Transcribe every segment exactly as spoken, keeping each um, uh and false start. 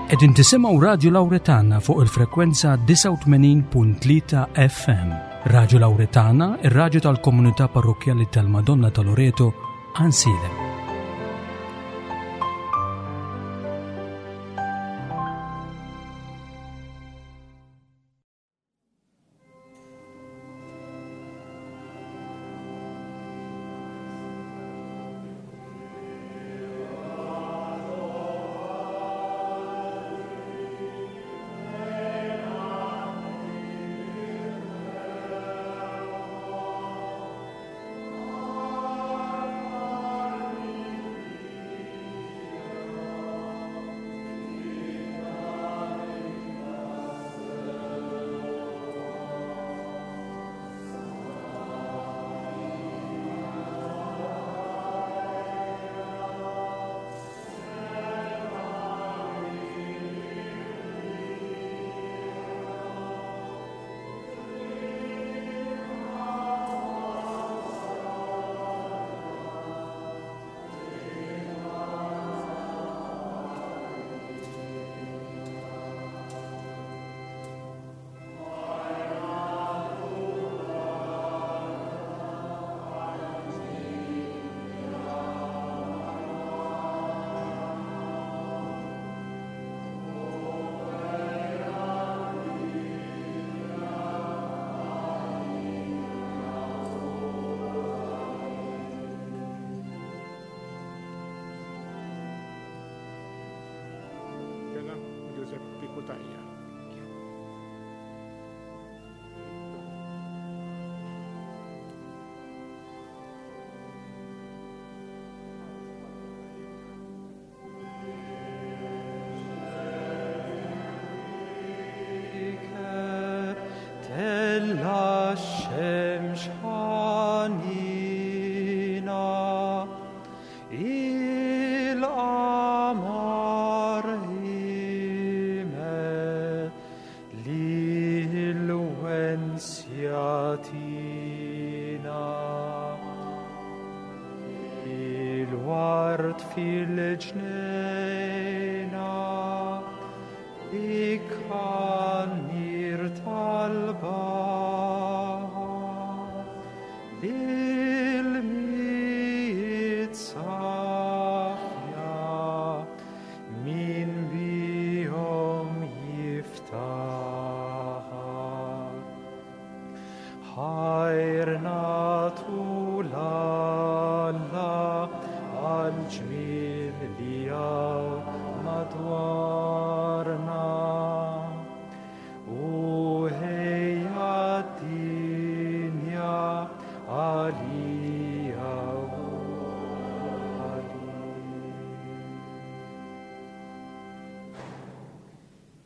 Qegħdin tisimgħu Radju Lawretana fuq il-frekwenza disgħa u tmenin punt tlieta F M. Radju Lawretana, ir-radju tal-komunità parrokkjali tal-Madonna ta' Loreto, Għajnsielem.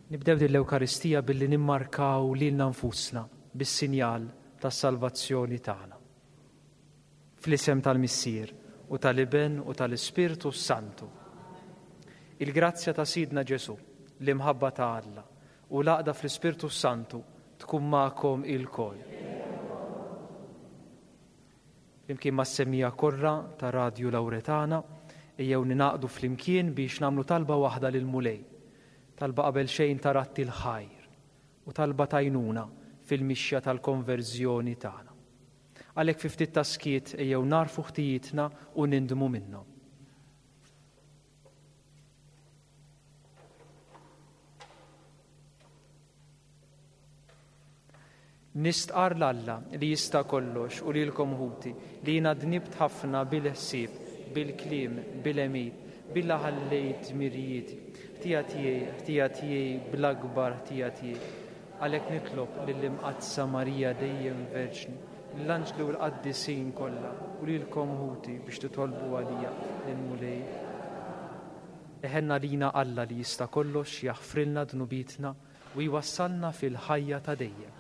Nibdew din l-Ewkaristija billi nimmarkaw lilna nfusna bis-sinjal tas-salvazzjoni tagħna. Fl-isem tal-Missier u tal-Iben u tal-Ispirtu Santu. Il-grazzja ta' Sidna Ġesu, l-imħabba ta' Alla u l-għaqda fl-Ispirtu Santu tkun magħkom ilkoll. Flimkien mas-semija korra ta' Radju Lawretana, ejjew ninaqdu flimkien biex nagħmlu talba waħda lill-Mulej. Talba qabel xejn ta' ratti l-ħajr u talba tajnuna fil-mixja tal-konverżjoni tagħna. Għalhekk fi ftit ta' skiet ejjew narfu ħtijietna u nindmu minnhom. Nistqar l-Alla li jista' kollox u lilkom ħuti li jiena dnibt ħafna bil-ħsieb, bil-kliem, bil-għemil, billa ħallejt dmirijieti. Ħtija tiegħi, ħtija tiegħi, bl-akbar ħtija tiegħi. Għalhekk nitlob lill-Imqaddsa Marija dejjem Verġni, lill-anġli u l-qaddisin kollha u lilkom ħuti biex titolbu għalija lill-Mulej. Eħenna lina Alla li jista' kollox jaħfrilna dnubietna u jwassalna fil-ħajja ta' dejjem.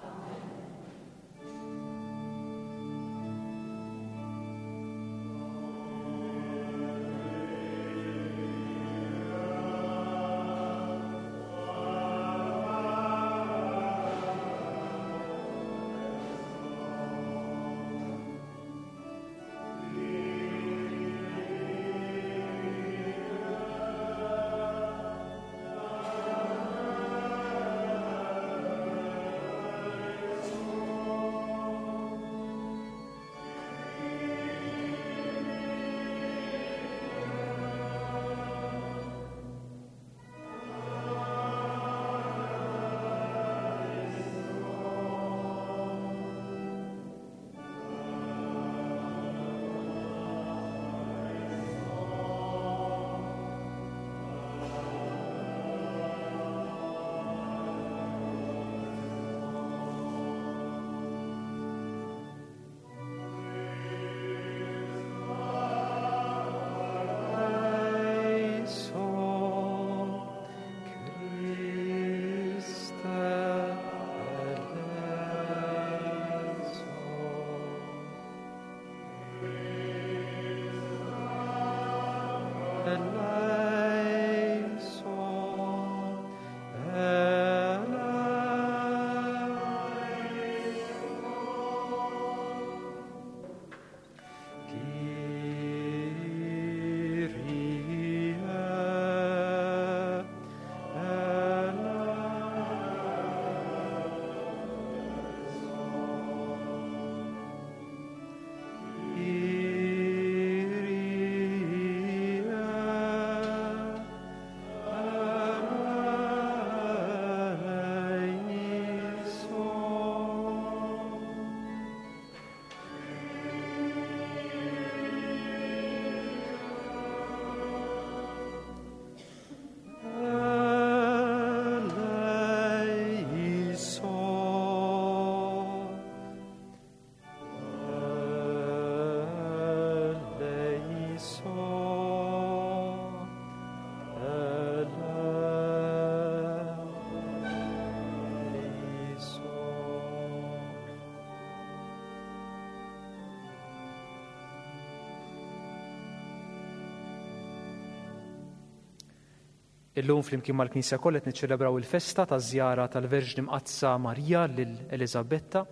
Illum flimkien mal-Knisja kollha qed niċċelebraw il-festa taż-żjara tal-Verġni Mqaddsa Marija lil Eliżabetta,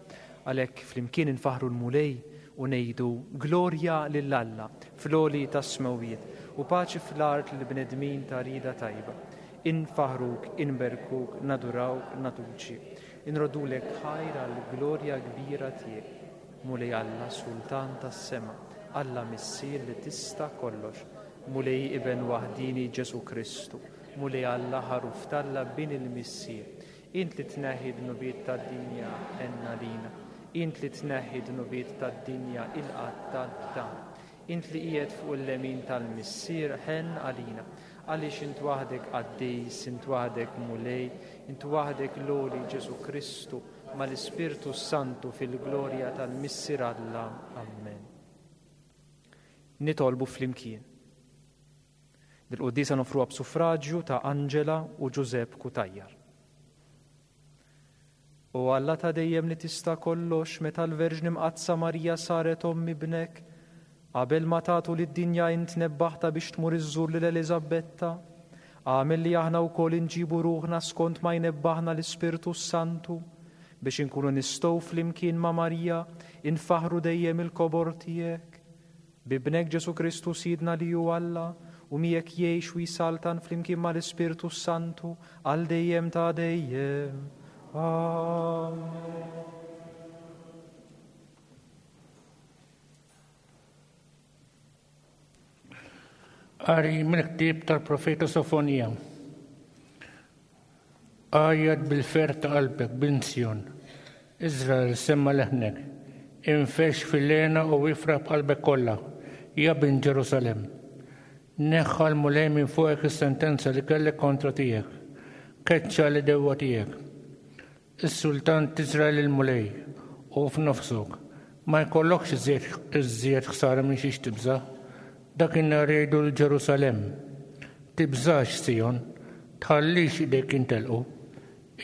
għalhekk flimkien infaħru l-Mulej u ngħidu glorja lil Alla fl-għoli tas-smewwiet u paċi fl-art lil bnedmin ta' rida tajba. Infaħruk, inberkuk, nadurawk, natuċi. Inroddulek ħajr għall-glorja kbira tiegħek. Mulej Alla, Sultan tas-sema, Alla Missier li tista' kollox, Mulej Iben waħdini Ġesu Kristu, Mulej Alla ħaruf t'Alla bin il-Missier. Int li tneħħi dnubiet tad-dinja għenna lina. Int li tneħħi dnubiet tad-dinja ilqa' tal-btan. Int li qiegħed fuq il-lemin tal-Missier ħenn għalina. Għaliex int waħdek qaddis, int waħdek Mulej, int waħdek l-għoli Ġesu Kristu mal-Ispirtu Santu fil-glorja tal-Missier Alla. Amen. Nitolbu flimkien. Dil-quddiesa nofruha b'suffraġġju ta' Angela u Giuseppe Cutajar. O Alla ta' dejjem li tista' kollox, meta l-Verġni Mqaddsa Marija saret omm ibnek, qabel ma tagħtu lid-dinja int nebbaħta biex tmur iżżur lil Eliżabetta, agħmel li aħna wkoll inġibu ruħna skont ma jnebbaħna l-Ispirtu Santu, biex inkunu nistgħu flimkien ma' Marija infaħru dejjem il-kobor tiegħek. Bibnek Ġesu Kristu Sidna li hu Alla, u miegħek jgħix u jsaltan flimkien mal-Ispirtu Santu għal dejjem ta' dejjem. Amen. Qari mill-ktieb tal-profeta Sofonija. Għajjat bil-ferħ ta' qalbek, bint Sjon. Iżrael semma leħnek. Infex fil-lena u ifraħ b'qalbek kollha, ja bint Ġerusalemm. Neħħa l-Mulej minn fuqek is-sentenza li kellek kontra tiegħek. Keċċa li dewwa tiegħek. Is-sultan t'Iżrael il-Mulej u f'nofsok ma jkollokx iżjed ħsara minn xiex tibża'. Dak in-nhar jgħidu l-Ġerusalemm. Tibżax Sijon, tħallix idejk intelqu.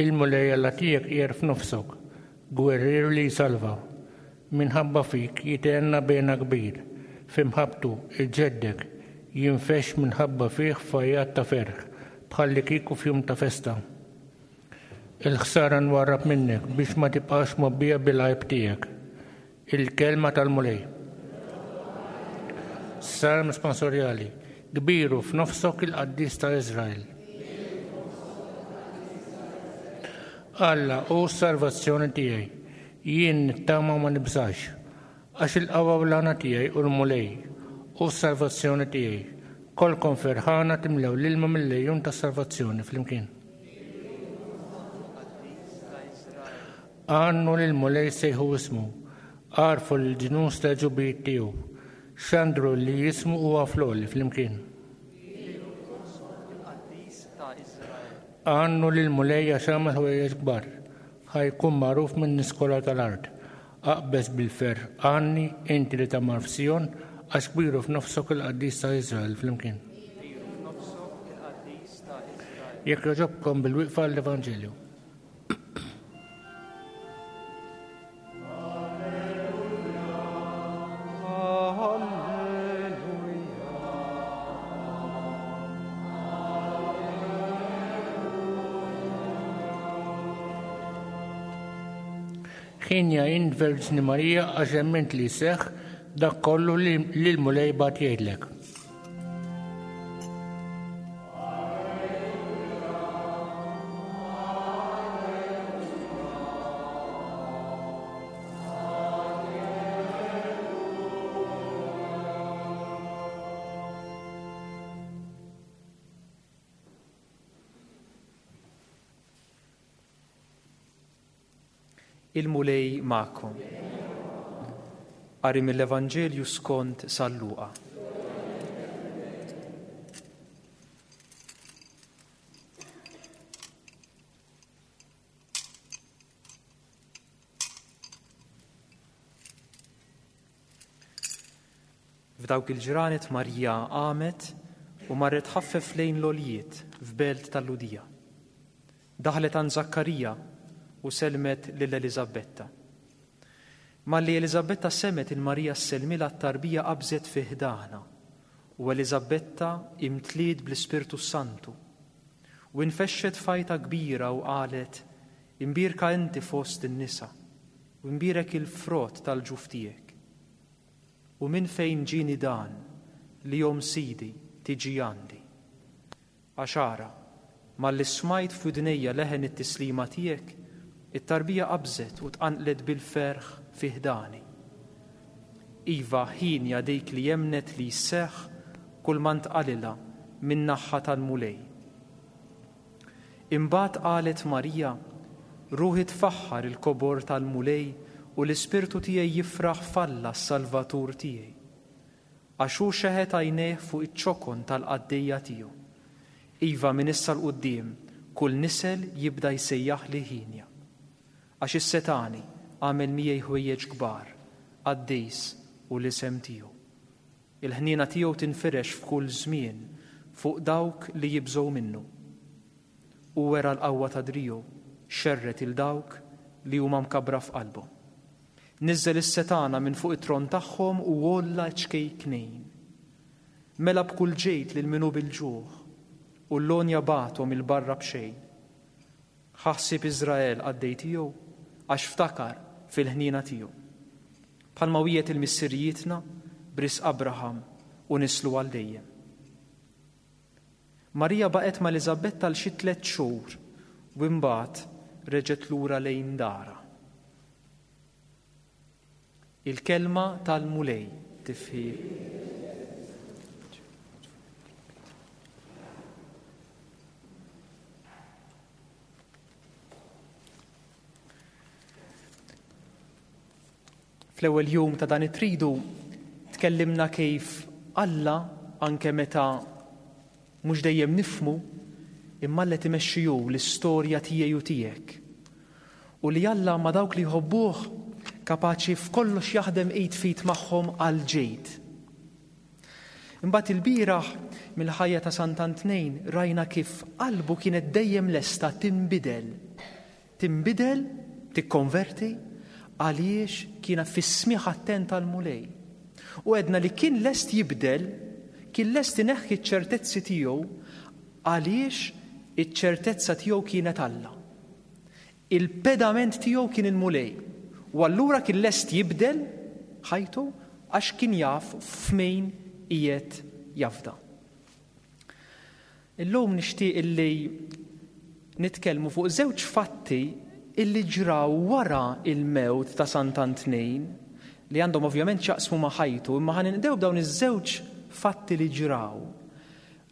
Il-Mulej Alla tiegħek qiegħed f'nofsok, gwerrier li jsalva. Minħabba fik jitenna bena kbir, f'imħabbtu iġeddek jinfex minħabba fih fajjat ta' ferħ, bħalli kieku f'jum ta' festa. Il-ħsara nwarrab minnek biex ma tibqax mobbija bil-għajb tiegħek. Il-kelma tal-Mulej. Salm sponsorjali. Kbiru f'nofsok il-qaddis ta' Iżrael. Alla hu s-salvazzjoni tiegħi. Jien nittama ma nibżax, għax il-qawwa u l-għana tiegħi u l-Mulej u s-salvazzjoni tiegħi. Kolkom ferħana timlew l-ilma mill-lejun tas-salvazzjoni flimkien. Għannu lil-Mulej sejħu ismu, għarfu l-ġnus ta' ġubijiet tiegħu, xandru li jismu huwa fl-għoli flimkien. Għannu lil-Mulej għax għamel ħwejjeġ kbar, ħajkun magħruf minn nies kollha tal-art. Aqbeż bil-ferħ, għanni inti li tagħmar f'Sijon, għax kbiru f'nofsok il-qaddis ta' Iżrael flimkien. Jekk jogħġobkom bil-wieqfa l-Evanġelju. Ħienja int Verġni Marija għax emmint li jseħħ dak kollu li l-Mulej bagħat jgħidlek. Il-Mulej magħkom. Qari mill-Evanġelju skont San Luqa. F'dawk il-ġranet Marija qamet u marret ħaffef lejn l-għoljiet f'belt tal-Lhudija. Daħlet għand Żakkarija u selmet lil Eliżabetta. Malli Eliżabetta semet il-Marija sselmilha t-tarbija qabżet fi ħdana u Eliżabetta imtliet bl-Ispirtu Santu u infexxet fajta kbira u qalet: Imbierka inti fost in-nisa u imbierek il-frott tal-ġuf tiegħek. U minn fejn ġieni dan li omm Sidi tiġi għandi? Għax ara, malli smajt f'widnejja leħen it-tislima tiegħek, it-tarbija qabżet u tqanqlet bil-ferħ fi ħdani. Iva, ħienja dik li jemnet li jseħħ kull ma ntqalilha min-naħa tal-Mulej. Imbagħad qalet Marija: Ruħi tfaħħar il-kobor tal-Mulej u l-ispirtu tiegħi jifraħ f'Alla s-Salvatur tiegħi. Għax hu xeħet għajnejh fuq iċ-ċokon tal-qaddejja tiegħu. Iva, minn issa 'l quddiem kull nisel jibda jsejjaħ li ħienja. Għax is-setani għamel miegħi ħwejjeġ kbar, qaddis u l-isem tiegħu. Il-ħniena tiegħu tinfirex f'kull żmien fuq dawk li jibżgħu minnu. U wera l-qawwa ta' driegħu, xerret il dawk li huma mkabbra f'qalbhom. Niżżel is-setana minn fuq it-tron tagħhom u għolla ċkejknejn. Mela b'kull ġejt lil min hu bil-ġuħ u l-lonja bagħthom il-barra b'xejn. Ħassib Iżrael qaddej tiegħu għax ftakar fil-ħniena tiegħu. Bħalma wiegħed il-missirijietna b'risq Abraham u nislu għal dejjem. Marija baqgħet ma' Eliżabetta għal xi tliet xhur u imbagħad reġgħet lura lejn darha. Il-kelma tal-Mulej tifħir. Fl-ewwel jum ta' dan it-tridu tkellimna kif Alla anke meta mhux dejjem nifhmu imma Alla timexxi hu l-istorja tiegħi u tiegħek. U li Alla ma' dawk li jħobbuh kapaċi f'kollox jaħdem id f'id magħhom għal ġid. Imbagħad il-bieraħ mill-ħajja ta' Sant'Antnejn rajna kif qalbu kienet dejjem lesta tinbidel. Tinbidel, tikkonverti, għaliex kien fis-smigħ attent tal-Mulej. U għedna li kien lest jibdel, kien lest ineħħi ċ-ċertezzi tiegħu għaliex iċ-ċertezza tiegħu kienet Alla. Il-pedament tiegħu kien il-Mulej. U allura kien lest jibdel ħajtu għax kien jaf f'min qiegħed jafda. Illum nixtieq illi nitkellmu fuq żewġ fatti illi ġraw wara il-mewt ta' Sant'Antnejn li għandhom ovvjament x'jaqsmu ma' ħajtu, imma ħa ninqdew b'dawn iż-żewġ fatti li ġraw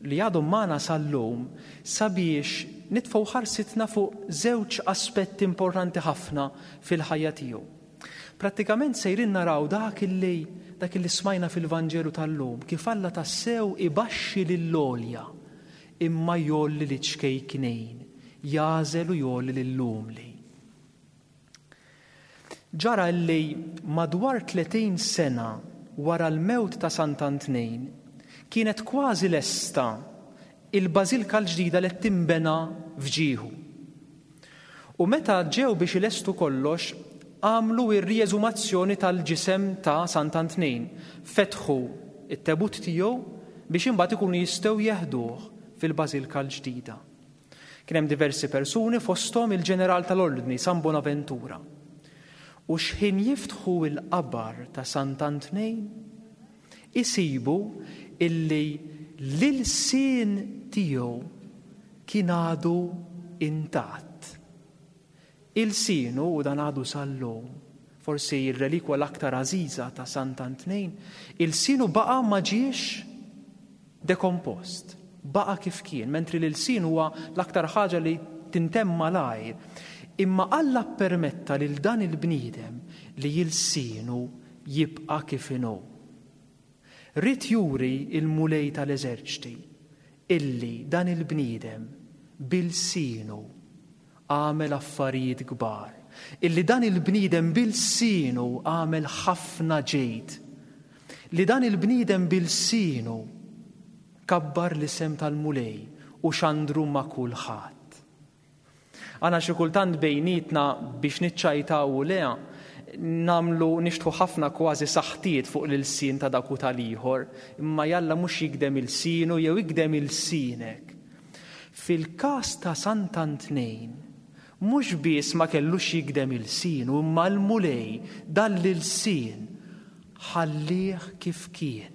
li għadhom magħna sal-lum sabiex nitfgħu ħarsitna fuq żewġ aspetti importanti ħafna fil-ħajja tiegħu. Prattikament sejrin naraw dak illi dak illi smajna fil-Vanġelu tal-lum, kif Alla tassew ibaxxi lill-għolja imma jgħolli liċ-ċkejknejn, jagħżel u jgħolli lill-umli. Ġara li madwar tletin sena wara l-mewt ta' Sant'Antnejn kienet kważi lesta il-bażilka l-ġdida li tinbena f'ġieħu. U meta ġew biex ilestu kollox, għamlu r-rieżumazzjoni tal-ġisem ta' Sant'Antnejn, fetħu it-tebut tiegħu biex imbagħad ikunu jistgħu jeħduh fil-bażilka l-ġdida. Kien hemm diversi persuni fosthom il-ġeneral tal-Ordni San Bonaventura. U xħin jiftħu il-qabar ta' Sant'Antnejn, isibu illi l-ilsien tiegħu kien għadu intatt. Ilsienu, u dan għadu sal-lum, forsi il-relikwa l-aktar għażiża ta' Sant'Antnejn, ilsienu baqa' ma ġiex dekompost, baqa' kif kien, mentri l-ilsien huwa l-aktar ħaġa li tintemm malajr. Imma Alla permetta lil dan il-bniedem li ilsienu jibqa' kif inhu. Ried juri il-Mulej tal-eżerċti illi dan il-bniedem b'ilsienu għamel affarijiet kbar, illi dan il-bniedem b'ilsienu għamel ħafna ġid, li dan il-bniedem b'ilsienu kabbar l-isem tal-Mulej u xandru ma' kulħadd. Għana xi kultant bejnietna biex niċċajtaw u lea, namlu nixtħu ħafna kważi saħtiet fuq l-ilsien ta' dak u tal-ieħor, imma jalla mhux jigdem ilsienu jew jigdem ilsienek. Fil-każ ta' Sant'Antnejn, mhux biss ma kellux jigdem ilsienu, imma l-Mulej dan l-ilsien ħallih kif kien,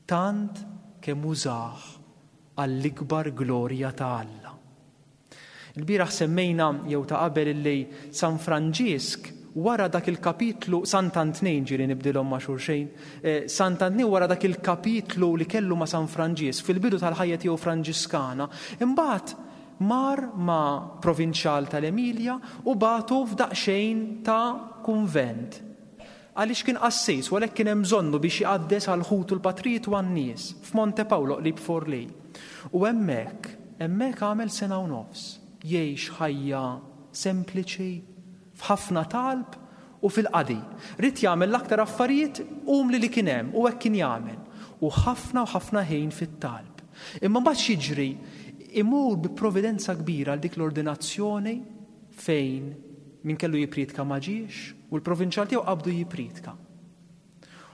tant kemm użah għall-ikbar glorja ta' Alla. Il-bieraħ semmejna jew ta' qabel illi San Franġisk wara dak il-kapitlu, Sant'Antnejn ġieli nibdilhom ma' xulxejn, eh, Sant'Antnejn wara dak il-kapitlu li kellu ma' San Franġisk fil-bidu tal-ħajja tiegħu Franġiskana, imbagħad mar ma' provinċjal tal-Emilja u bagħtu f'daqsxejn ta' kunvent. Għaliex kien qassis, u għalhekk kien hemm bżonnu biex jqaddes għal ħutu l-patrijiet u għan-nies f'Monte Paolo qrib Forlì. U hemmhekk, hemmhekk għamel sena u nofs, jgħix ħajja sempliċi, f'ħafna talb u fil-qadi. Ried jagħmel l-aktar affarijiet umli li kien hemm u hekk kien jagħmel. U ħafna u ħafna ħin fit-talb. Imma mbagħad x'jiġri, imur bi providenza kbira għal dik l-ordinazzjoni fejn min kellu jippriedka ma ġiex u l-provinċjal tiegħu qabdu jippriedka.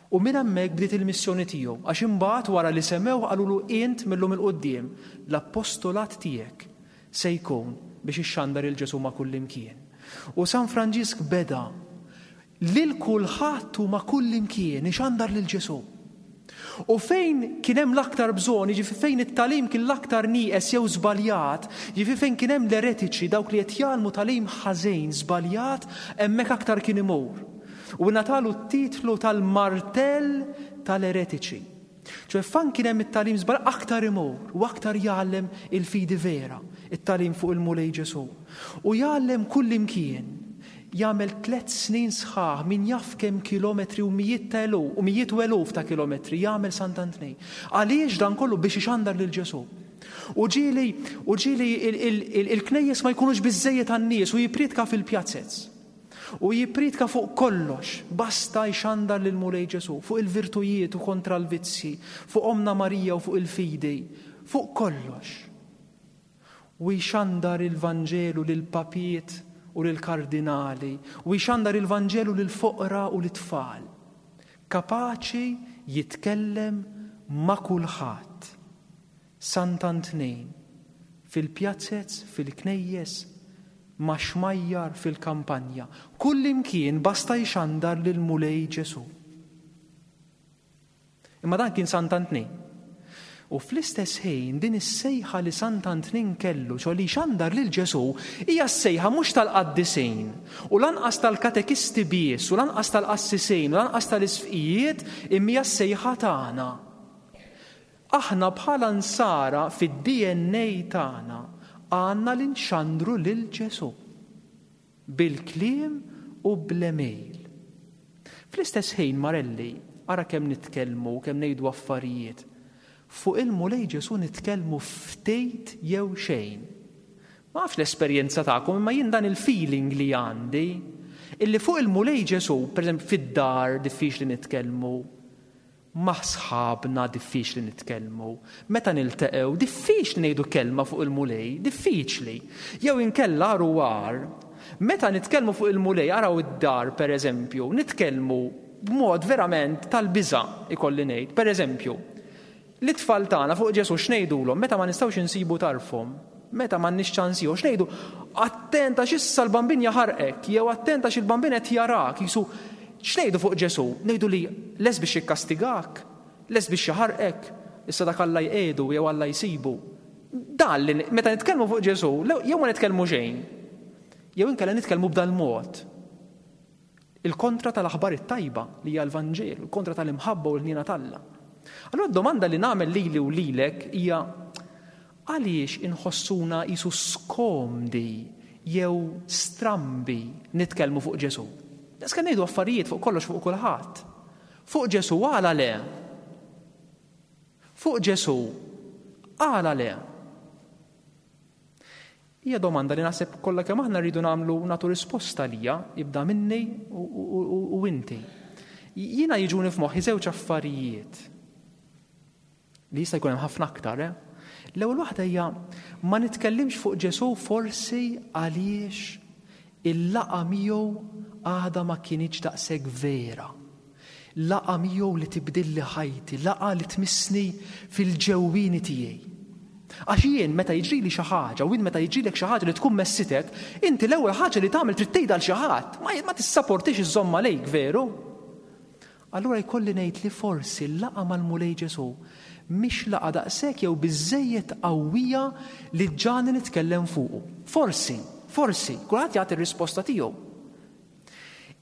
U minn hemmhekk bdiet il-missjoni tiegħu, għax imbagħad wara li semgħu qalulu int millum 'il quddiem l-appostolat tiegħek se jkun biex ixxandar il Ġesù ma' kullimkien. U San Franġisk beda lil kulħadd u ma' kullimkien ixandar lil Ġesù. U fejn kien hemm l-aktar bżonn, jiġifieri fejn it-tagħlim kien l-aktar nieqes jew żbaljat, jiġifieri fejn kien hemm l-eretiċi, dawk li qed jgħallmu tagħlim ħażin żbaljat, hemmhekk aktar kien imur. U ngħatalu t-titlu tal-martell tal-eretiċi. ċoè fejn kien hemm it-tagħlim żbaljat aktar imur u aktar jgħallem il-fidi vera, it-tagħlim fuq il-Mulej Ġesù. U jgħallem kullimkien. Jagħmel tliet snin sħaħ min jaf kemm kilometri u mijiet ta' eluf u mijiet u eluf ta' kilometri jagħmel Sant'Antnej. Għaliex dan kollu? Biex ixandar lil Ġesù. U ġieli, u ġieli il-, il-, il-, il-knejjes ma jkunux biżejjed għan-nies u jippriedka fil-pjazzez. U jippriedka fuq kollox, basta jxandar lil Mulej Ġesù, fuq il-virtujiet u kontra l-vizzji, fuq Omna Marija u fuq il-fidi, fuq kollox. U jxandar il-Vanġelu lil papiet u lil kardinali, u jxandar il-Vanġelu lil foqra u lit-tfal. Kapaċi jitkellem ma' kulħadd. Sant'Antnejn, fil-pjazzez, fil-knejjes, ma' xmajjar fil-kampanja, kullimkien basta jxandar lil Mulej Ġesù. Imma dan kien Sant'Antnejn. U fl-istess ħin din is-sejħa li Sant'Antnejn kellu, ċo li xandar lil Ġesù, hija s-sejħa mhux tal-qaddisin u lanqas tal-katekisti biss u lanqas tal-qassisin u lanqas tal-isfqijiet, imma hija s-sejħa tagħna. Aħna bħala nsara fid-D N A tagħna għandna li nxandru lil Ġesù bil-kliem u bl-email. Fl-istess ħin, Marelli, ara kemm nitkellmu, kemm ngħidu affarijiet. Fuq il-Mulej Ġesù nitkellmu ftit jew xejn. Ma nafx l-esperjenza tagħkom, imma jien dan il-feeling li għandi, illi fuq il-Mulej Ġesù, pereżempju fid-dar diffiċli nitkellmu, ma' sħabna diffiċli nitkellmu, meta niltaqgħu diffiċli ngħidu kelma fuq il-Mulej, diffiċli. Jew inkella għar u għar, meta nitkellmu fuq il-Mulej, araw id-dar pereżempju, nitkellmu b'mod verament tal-biża' ikolli ngħid. Pereżempju, l-itfal tagħna fuq Ġesù x'ngħidulhom meta ma nistgħux insibu tarfhom, meta m'għandniex ċans ieħor, x'ngħidu? Attent għax issa l-Bambin jaħarqek, jew attent għax il-Bambin qed jarak, jisu x'ngħidu fuq Ġesù? Ngħidu li les biex jikkastigak, les biex jaħarqek, issa dak Alla jqegħdu jew Alla jsibu. Dan li meta nitkellmu fuq Ġesù, jew ma nitkellmu xejn, jew inkella nitkellmu b'dal mod. Il-kontra tal-aħbar it-tajba li hija l-Vanġelu, il-kontra tal-imħabba u l-ħniena t'Alla. Allura d-domanda li nagħmel lili u lilek hija għaliex inħossuna qisu skomdi jew strambi nitkellmu fuq Ġesù? Daqs ngħidu affarijiet fuq kollox fuq kulħadd. Fuq Ġesù għala le? Fuq Ġesù għala le? Hija domanda li naħseb kollha kemm aħna rridu nagħmlu nagħtu risposta lija, jibda minni u inti. Jiena jiġuni f'moħħi żewġ affarijiet li jista' jkun hemm ħafna aktar, eh? L-ewwel waħda hija ma nitkellimx fuq Ġesù forsi għaliex il-laqgħa miegħu għadha ma kinitx daqshekk vera. Laqgħa miegħu li tibdilli ħajti, laqgħa li tmissni fil-ġewwieni tiegħi. Għax jien meta jiġrili xi ħaġa u jien meta jiġrilek xi ħaġa li tkun messitek, inti l-ewwel ħaġa li tagħmel trid tgħidha lil xi ħadd, ma tissaportix iżżomm għalejk veru. Allura jkolli ngħid li forsi l-laqgħa mal-Mulej Ġesù mhix laqgħa daqshekk jew biżżejjed qawwija li ġani nitkellem fuqu. Forsi, forsi, kulħadd jagħti r-risposta tiegħu.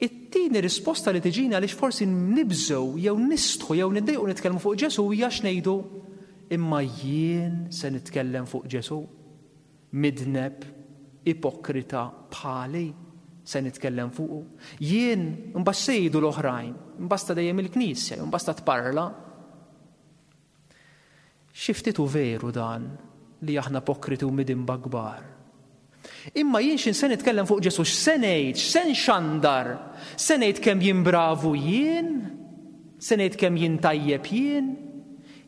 It-tieni risposta li tiġina għaliex forsi nibżgħu jew nistħu jew niddejqu nitkellmu fuq Ġesù hija x'ngħidu imma jien se nitkellem fuq Ġesù, midneb, ipokrita bħali se nitkellem fuqu. Jien imbagħad se jgħidu l-oħrajn, imbasta dejjem il-Knisja, imbasta tparla. Xi ftit hu veru dan li aħna ipokriti u midinba kbar. Imma jien x'in se nitkellem fuq Ġesù, x'se ngħid, x'se nxandar, se ngħid kemm jien bravu jien, se ngħid kemm jien tajjeb jien,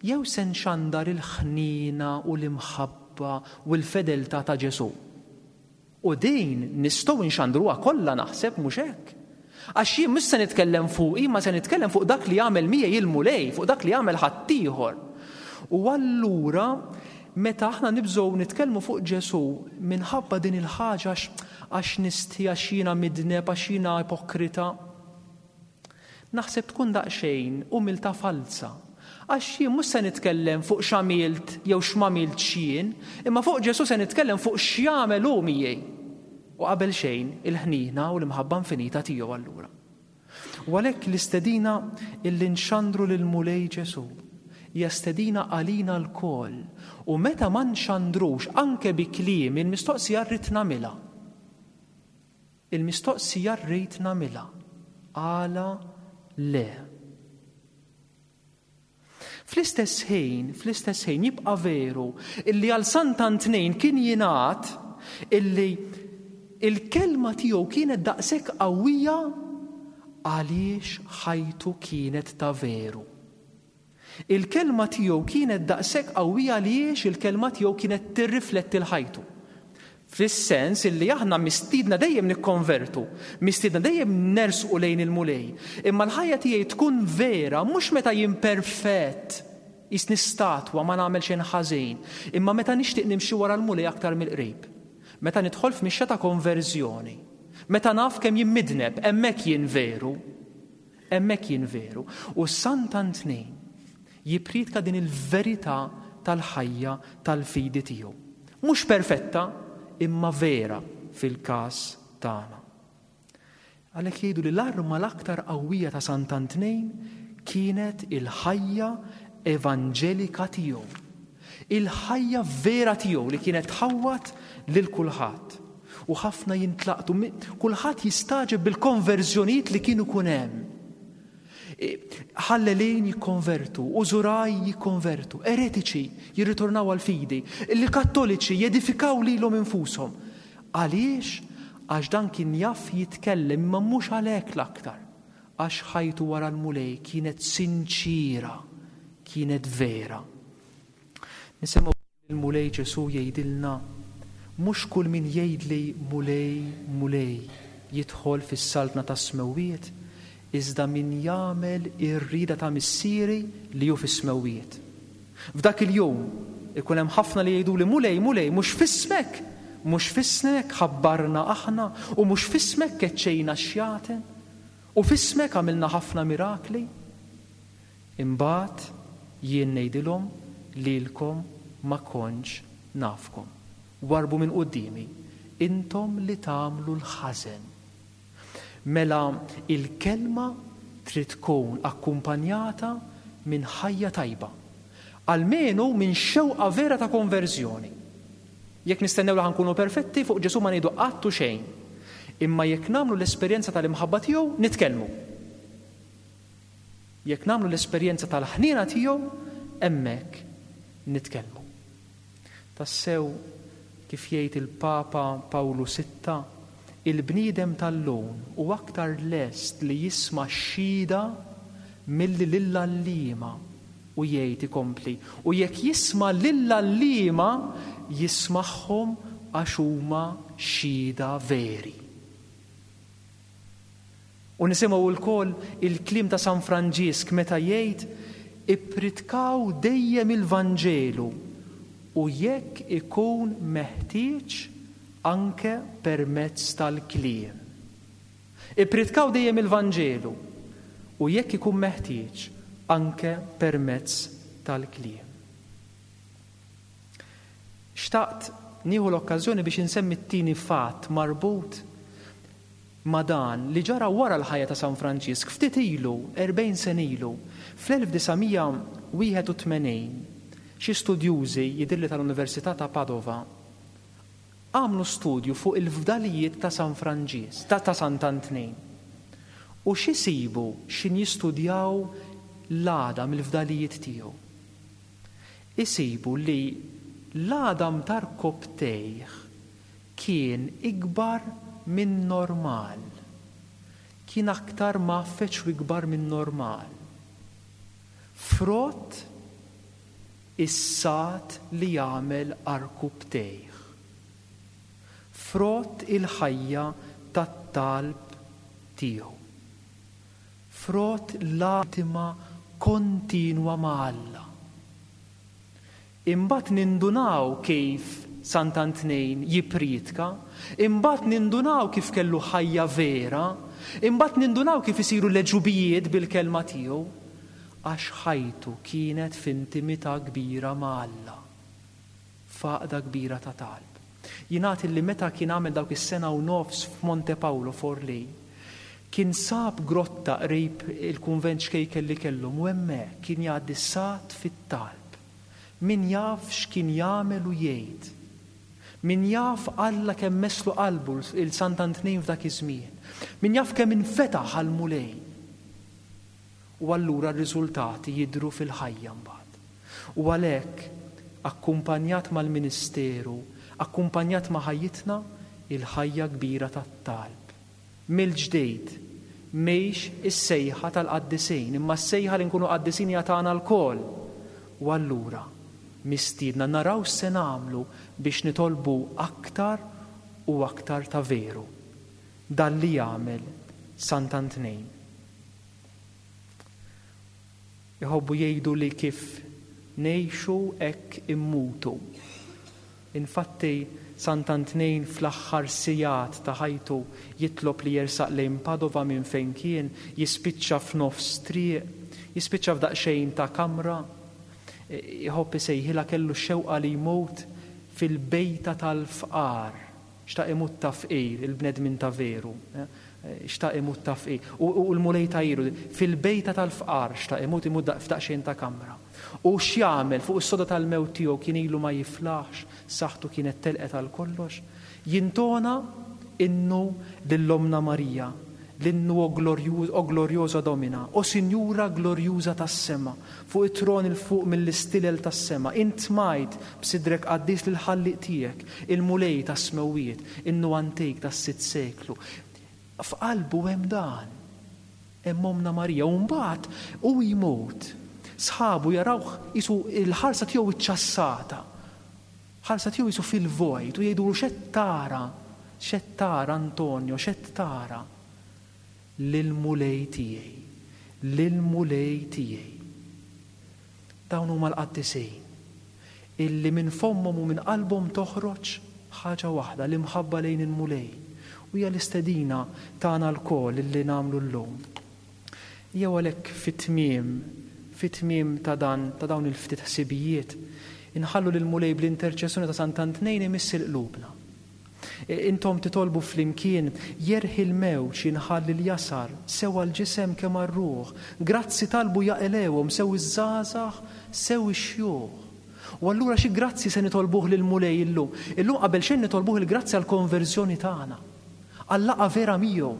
jew se nxandar il-ħniena u l-imħabba u l-fedeltà ta' Ġesù. U din nistgħu nxandruha kollha naħseb mhux hekk. Għax jien mhux se nitkellem fuqi, ma se nitkellem fuq dak li jagħmel miegħi il-Mulej, fuq dak li jagħmel ħaddieħor. U allura meta aħna nibżgħu nitkellmu fuq Ġesù minħabba din il-ħaġa għax nistħi, għax jiena midneb, għax jiena ipokrita, naħseb tkun daqsxejn umiltà falsa. Għax jien mhux se nitkellem fuq x'għamilt jew x'm'għamiltx jien, imma fuq Ġesù se nitkellem fuq x'jagħmel hu miegħi. U qabel xejn il-ħniena u l-imħabba infinita tiegħu allura. U għalhekk l-istedina illi nxandru lil Mulej Ġesù hija stedina għalina lkoll. U meta ma nxandrux anke bi kliem il-mistoqsija rrid nagħmilha. Il-mistoqsija rrid nagħmilha. Għala le. Fl-istess ħin, fl-istess ħin jibqa' veru illi għal Sant'Antnin kien jingħad illi il-kelma tiegħu kienet daqshekk qawwija għaliex ħajtu kienet ta' veru. Il-kelma tiegħu kienet daqshekk qawwija għaliex il-kelma tiegħu kienet tirrifletti l-ħajtu. Fis-sens illi aħna mistiedna dejjem nikkonvertu, mistiedna dejjem nersqu lejn il-Mulej, imma l-ħajja tiegħi tkun vera mhux meta jien perfett, jisni statwa ma nagħmel xejn ħażin, imma meta nixtieq nimxi wara l-Mulej aktar mill-qrib. Meta nidħol f'mixja ta' konverżjoni, meta naf kemm jien midneb, hemmhekk jien veru, hemmhekk jien veru. U Sant'Antnin jippriedka din il-verità tal-ħajja tal-fidi tiegħu. Mhux perfetta, imma vera fil-każ tagħna. Għalhekk jgħidu li l-arma l-aktar qawwija ta' Sant'Antnin kienet il-ħajja evanġelika tiegħu. Il-ħajja vera tiegħu li kienet tħawwat lil kulħadd. U ħafna jintlaqtu, kulħadd jistagħġeb bil-konverżjonijiet li kienu kun hemm. Ħallelin jikkonvertu, użuraj jikkonvertu, eretiċi jirritornaw għal-fidi, il-kattoliċi jedifikaw lilhom infushom. Għaliex? Għax dan kien jaf jitkellem, imma mhux għalhekk l-aktar. Għax ħajtu wara l-Mulej kienet sinċira, kienet vera. Nisimgħu il-Mulej Ġesù jgħidilna, mhux kull min jgħidli Mulej, Mulej jidħol fis-saltna tas-smewwiet, iżda min jagħmel ir-rieda ta' Missieri li hu fis-smewwiet. F'dak il-jum ikun hemm ħafna li jgħidu li Mulej, Mulej, mhux f'ismek, Mhux f'ismek ħabbarna aħna u mhux f'ismek keċċejna x-xjaten u f'ismek għamilna ħafna mirakli? Imbagħad jien ngħidilhom lilkom ma kontx nafkom. Warbu minn quddiemi, intom li tagħmlu l-ħażen. Mela il-kelma trid tkun akkumpanjata minn ħajja tajba, almenu minn xewqa vera ta' konverżjoni. Jekk nistennew li ħankunu perfetti, fuq Ġesù ma ngħidu qatt u xejn. Imma jekk nagħmlu l-esperjenza tal-imħabba tiegħu, nitkellmu. Jekk nagħmlu l-esperjenza tal-ħniena tiegħu, hemmhekk nitkellmu. Tassew, kif jgħid il-Papa Pawlu Sitta, il-bniedem tal-lum u aktar lest li jisma' x-xhieda milli lill-għalliema, u jgħid ikompli, u jekk jisma' lill-għalliema jismagħhom għax huma xhieda veri. U nisimgħu lkoll il-kliem ta' San Franġisk meta jgħid ippritkaw dejjem il-Vanġelu u jekk ikun meħtieġ anke permezz tal-kliem. Ippritkaw dejjem il-Vanġelu u jekk ikun meħtieġ anke permezz tal-kliem. Xtaqt nieħu l-okkażjoni biex insemmi t-tieni fatt marbut ma' dan li ġara wara l-ħajja ta' San Franġisk ftit ilu, erbgħin sena ilu, fl-elf disa' mija wieħed u tmenin, xi studjużi jidhirli tal-Università ta' Padova għamlu studju fuq il-fdalijiet ta' San Franġisk, ta', ta' Sant'Antnin. U x'isibu x'in jistudjaw l-għadam il-fdalijiet tiegħu? Isibu li l-għadam tar-koptejh kien ikbar minn normal. Kien aktar mgħaffeġ u ikbar minn normal. Frott is-sat li jagħmel arkubtejh. Frott il-ħajja tat-talb tiegħu. Frott l-intima kontinwa ma' Alla. Imbagħad nindunaw kif Sant'Antnin jippriedka, imbagħad nindunaw kif kellu ħajja vera, imbagħad nindunaw kif isiru l-għeġubijiet bil-kelma tiegħu, għax ħajtu kienet f'intimità kbira ma' Alla, f'għaqda kbira ta' talb. Jingħad li meta kien għamel dawk is-sena u nofs f'Monte Paolo Forlì, kien sab grotta qrib il-kunvent xkejken li kellhom u hemmhekk kien jgħaddi sat fit-talb. Min jaf x'kien jagħmel u jgħid. Min jaf Alla kemm meslu qalbu il Sant'Antnin f'dak iż-żmien. Min jaf kemm infetaħ għall-Mulej. U allura r-riżultati jidhru fil-ħajja mbagħad. U għalhekk, akkumpanjat mal-ministeru, akkumpanjat ma' ħajjitna, il-ħajja kbira tat-talb. Mill-ġdid, mhix is-sejħa tal-qaddisin, imma s-sejħa li nkunu qaddisin hija tagħna lkoll. U allura mistiedna naraw se nagħmlu biex nitolbu aktar u aktar ta' veru. Dan li jagħmel Sant'Antnin. Iħobbu jgħidu li kif ngħixu hekk immutu. Infatti Sant'Antnin fl-aħħar sigħat ta' ħajtu jitlob li jersaq lejn Padova minn fejn kien, jispiċċa f'nofs triq, jispiċċa f'daqsxejn ta' kamra, iħobb isejħilha kellu x-xewqa li jmut fil-bejta tal-fqar. Xtaq imut ta' fqir, il-bnedmin ta' veru. Xtaq imut ta' fqir. U, u l-Mulej ta' iru, fil-bejta tal-fqar xtaq imut, imut da-, f'daqsxejn ta' kamra. U x'jagħmel fuq is-soda tal-mewt tiegħu kien ilu ma jiflaħx, saħħtu kienet telqet għal kollox, jintona innu lill-Omna Marija, l-innu o glorju-, o gloriosa Domina, o Sinjura glorjuża tas-sema, fuq it-tron il fuq mill-istilel tas-sema, int smajt b'sidrek qaddis lil ħalliq tiegħek, il-Mulej tas-smewwiet, innu antik tas-sitt seklu. F'qalbu hemm dan, hemm Omna Marija, u mbagħad hu jmut. Sħabu jarawh isu il-ħarsa tiegħu iċċassata. Ħarsa tiegħu isu fil-vojt u jgħidulu x'qed tara, x'qed tara Antonio, x'qed tara? Lil-Mulej tiegħi, lil-Mulej tiegħi. Dawn huma l-qaddisin illi minn fommhom u minn qalbhom toħroġ Ħaġa waħda, l-imħabba lejn il-Mulej. U hija l-istedina tagħna lkoll li nagħmlu llum. Jew għalhekk fit-tmiem, fit-tmiem ta' dan, ta' dawn il-ftit ħsibijiet, inħallu lill-Mulej bl-interċessjoni ta' Sant'Antnejn imiss il-qlubna. Intom titolbu flimkien, jerħi l-mewġ jinħall l-jasar, sew għall-ġisem kemm għar-ruħ. Grazzi talbu jaqilewhom sew iż-żgħażagħ, sew ix-xjuħ. U allura xi grazzi se nitolbuh lill-Mulej illum? Illum qabel xejn nitolbuh il-grazzi għall-konverżjoni tagħna, għal-laqgħa vera miegħu.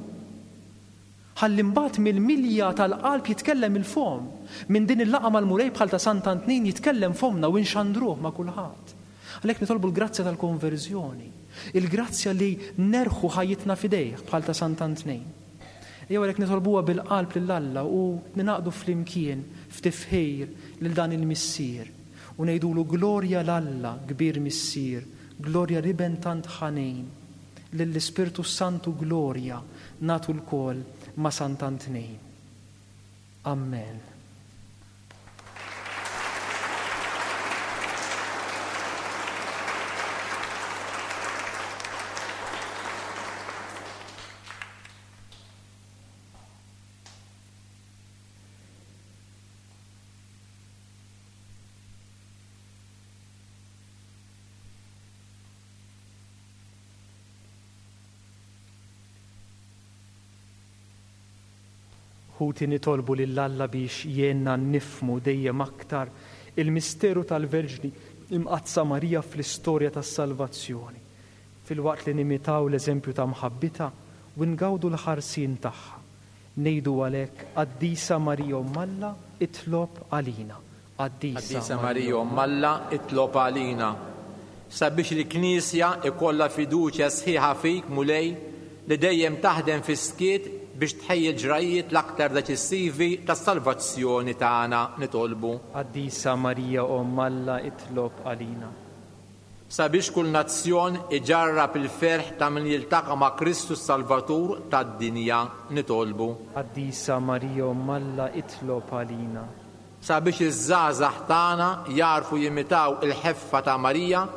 Ħalli mbagħad mill-milja tal-qalb jitkellem il-fom. Minn din il-laqgħa mal-Mulej bħal ta' Sant'Antnin jitkellem fomna u nxandruh ma' kulħadd. Għalhekk nitolbu l-grazzja tal-konverżjoni, il-grazzja li nerħu ħajjitna f'idejh bħal ta' Sant'Antnin. Jew għalhekk nitolbuha bil-qalb lil Alla u ninaqdu flimkien f'tifħir lil dan il-Missier u ngħidulu glorja 'l Alla kbir Missier, glorja l-Iben tant ħanin, lill-Ispirtu Santu glorja nagħtu lkoll ma' Sant'Antnin. Amen. Ħuti nitolbu lil Alla biex jgħinna nifhmu dejjem aktar il-misteru tal-Verġni Imqaddsa Marija fl-istorja tas-salvazzjoni, filwaqt li nimitaw l-eżempju ta' mħabbitha u ngawdu l-ħarsien tagħha. Ngħidu għalhekk, Qaddisa Marija Omm Alla, itlob għalina. Qaddisa Marija Omm Alla, itlob għalina. Sabiex il-Knisja ikollha fiduċja sħiħa fik, Mulej, li dejjem taħdem fis-skiet biex tħejji l-ġrajiet l-aktar deċissivi tas-salvazzjoni tagħna, nitolbu. Qaddisa Marija Omm Alla, itlob għalina. Sabiex kull nazzjon iġarrab il-ferħ ta' min jiltaqa' ma' Kristu s-Salvatur tad-dinja, nitolbu. Qaddisa Marija Omm Alla, itlob għalina. Sabiex iż-żgħażagħ tagħna jarfu jimitaw il-ħeffa ta' Marija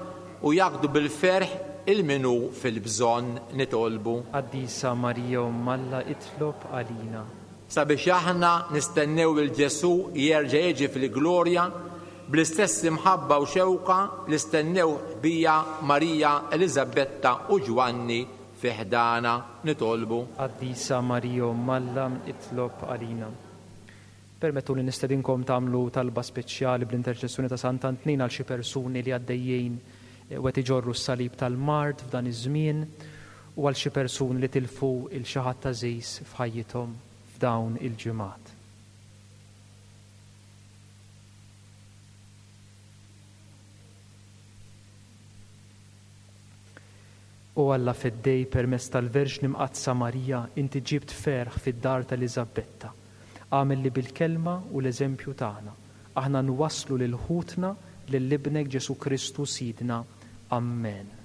u jaqdu bil-ferħ il-minu fil-bżonn, nitolbu. Qaddisa Marija Omm Alla, itlob għalina. Sabiex aħna nistennew il Ġesù jerġa' jiġi fil-glorja bl-istess imħabba u xewqa li stennew bija Marija, Eliżabetta u Ġwanni fi ħdana, nitolbu. Qaddisa Marija Omm Alla, itlob għalina. Permettu li nistedinkom tagħmlu talba speċjali bl-interċessjoni ta' Sant'Antnin għal xi persuni li għaddejjin u qed iġorru s-salib tal-mard f'dan iż-żmien u għal xi persuni li tilfu il xi ħadd għażiż f'ħajjithom f'dawn il-ġimgħat. O Alla feddej permezz tal-Verġni Mqaddsa Marija, inti ġibt ferħ fid-dar ta' Eliżabetta. Agħmel li bil-kelma u l-eżempju tagħna aħna nwasslu lil ħutna lil ibnek Ġesù Kristu Sidna. Amen.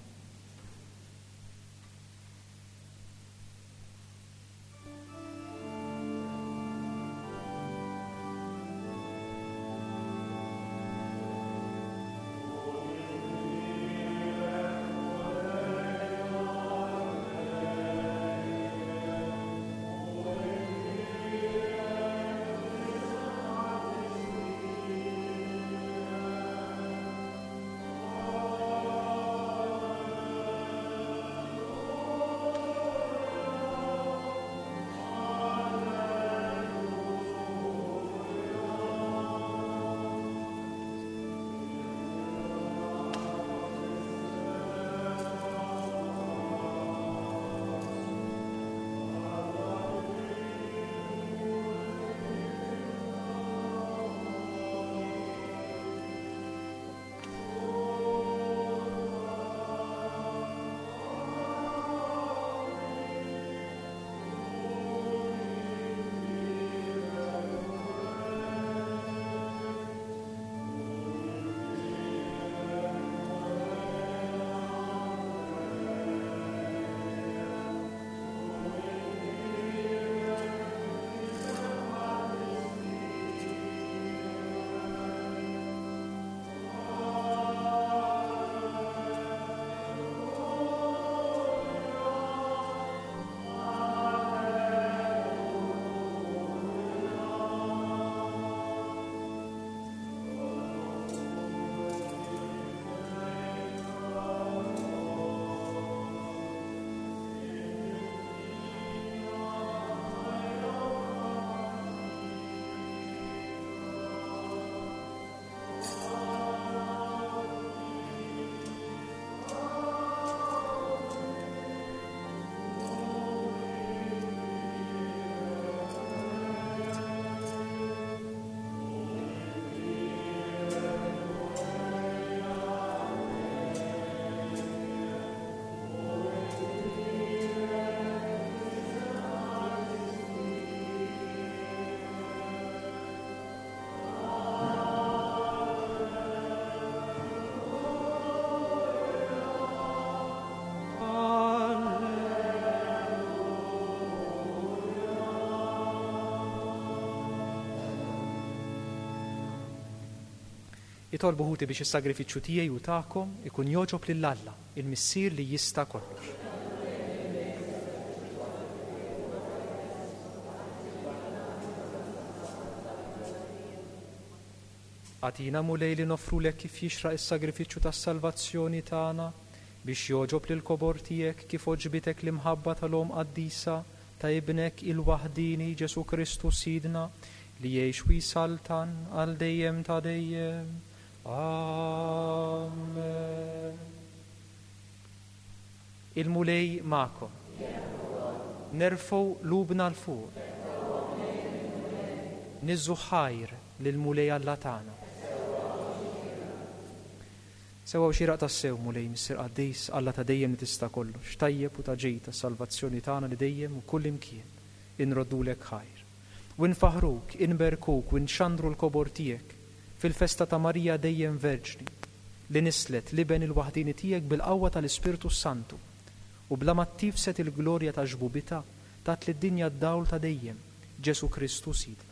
Itolbu ħuti biex is-sagrifiċċju tiegħi u tagħkom ikun jogħġob lil Alla, il-Missier li jista' kollox. Agħtina Mulej li noffrulek kif jixraq is-sagrifiċċju tas-salvazzjoni tagħna biex jogħġob lil kobor tiegħek kif għoġbitek l-imħabba tal-Omm Qaddisa ta' Ibnek il-waħdini Ġesu Kristu Sidna li jgħix u jsaltan għal dejjem ta' dejjem. Amen. Il-Mulej magħkom. Nerfgħu lubna 'l fuq. Niżżu ħajr lill-Mulej Alla tagħna. Sewwa u xieraq tassew, Mulej, Missier Qaddis, Alla ta' dejjem li tista' kollox, tajjeb u ta' ġid tas-salvazzjoni tagħna li dejjem u kull imkien inroddulek ħajr. U nfaħruk, inberkuk u nxandru l-kobor tiegħek fil-festa ta' Marija dejjem Verġni, li nislet l-Iben il-waħdini tiegħek bil-qawwa tal-Ispirtu Santu u bla ma ttifset il-glorja ta' xbubitha tat lid-dinja d-dawl ta' dejjem, Ġesu Kristu Sidna.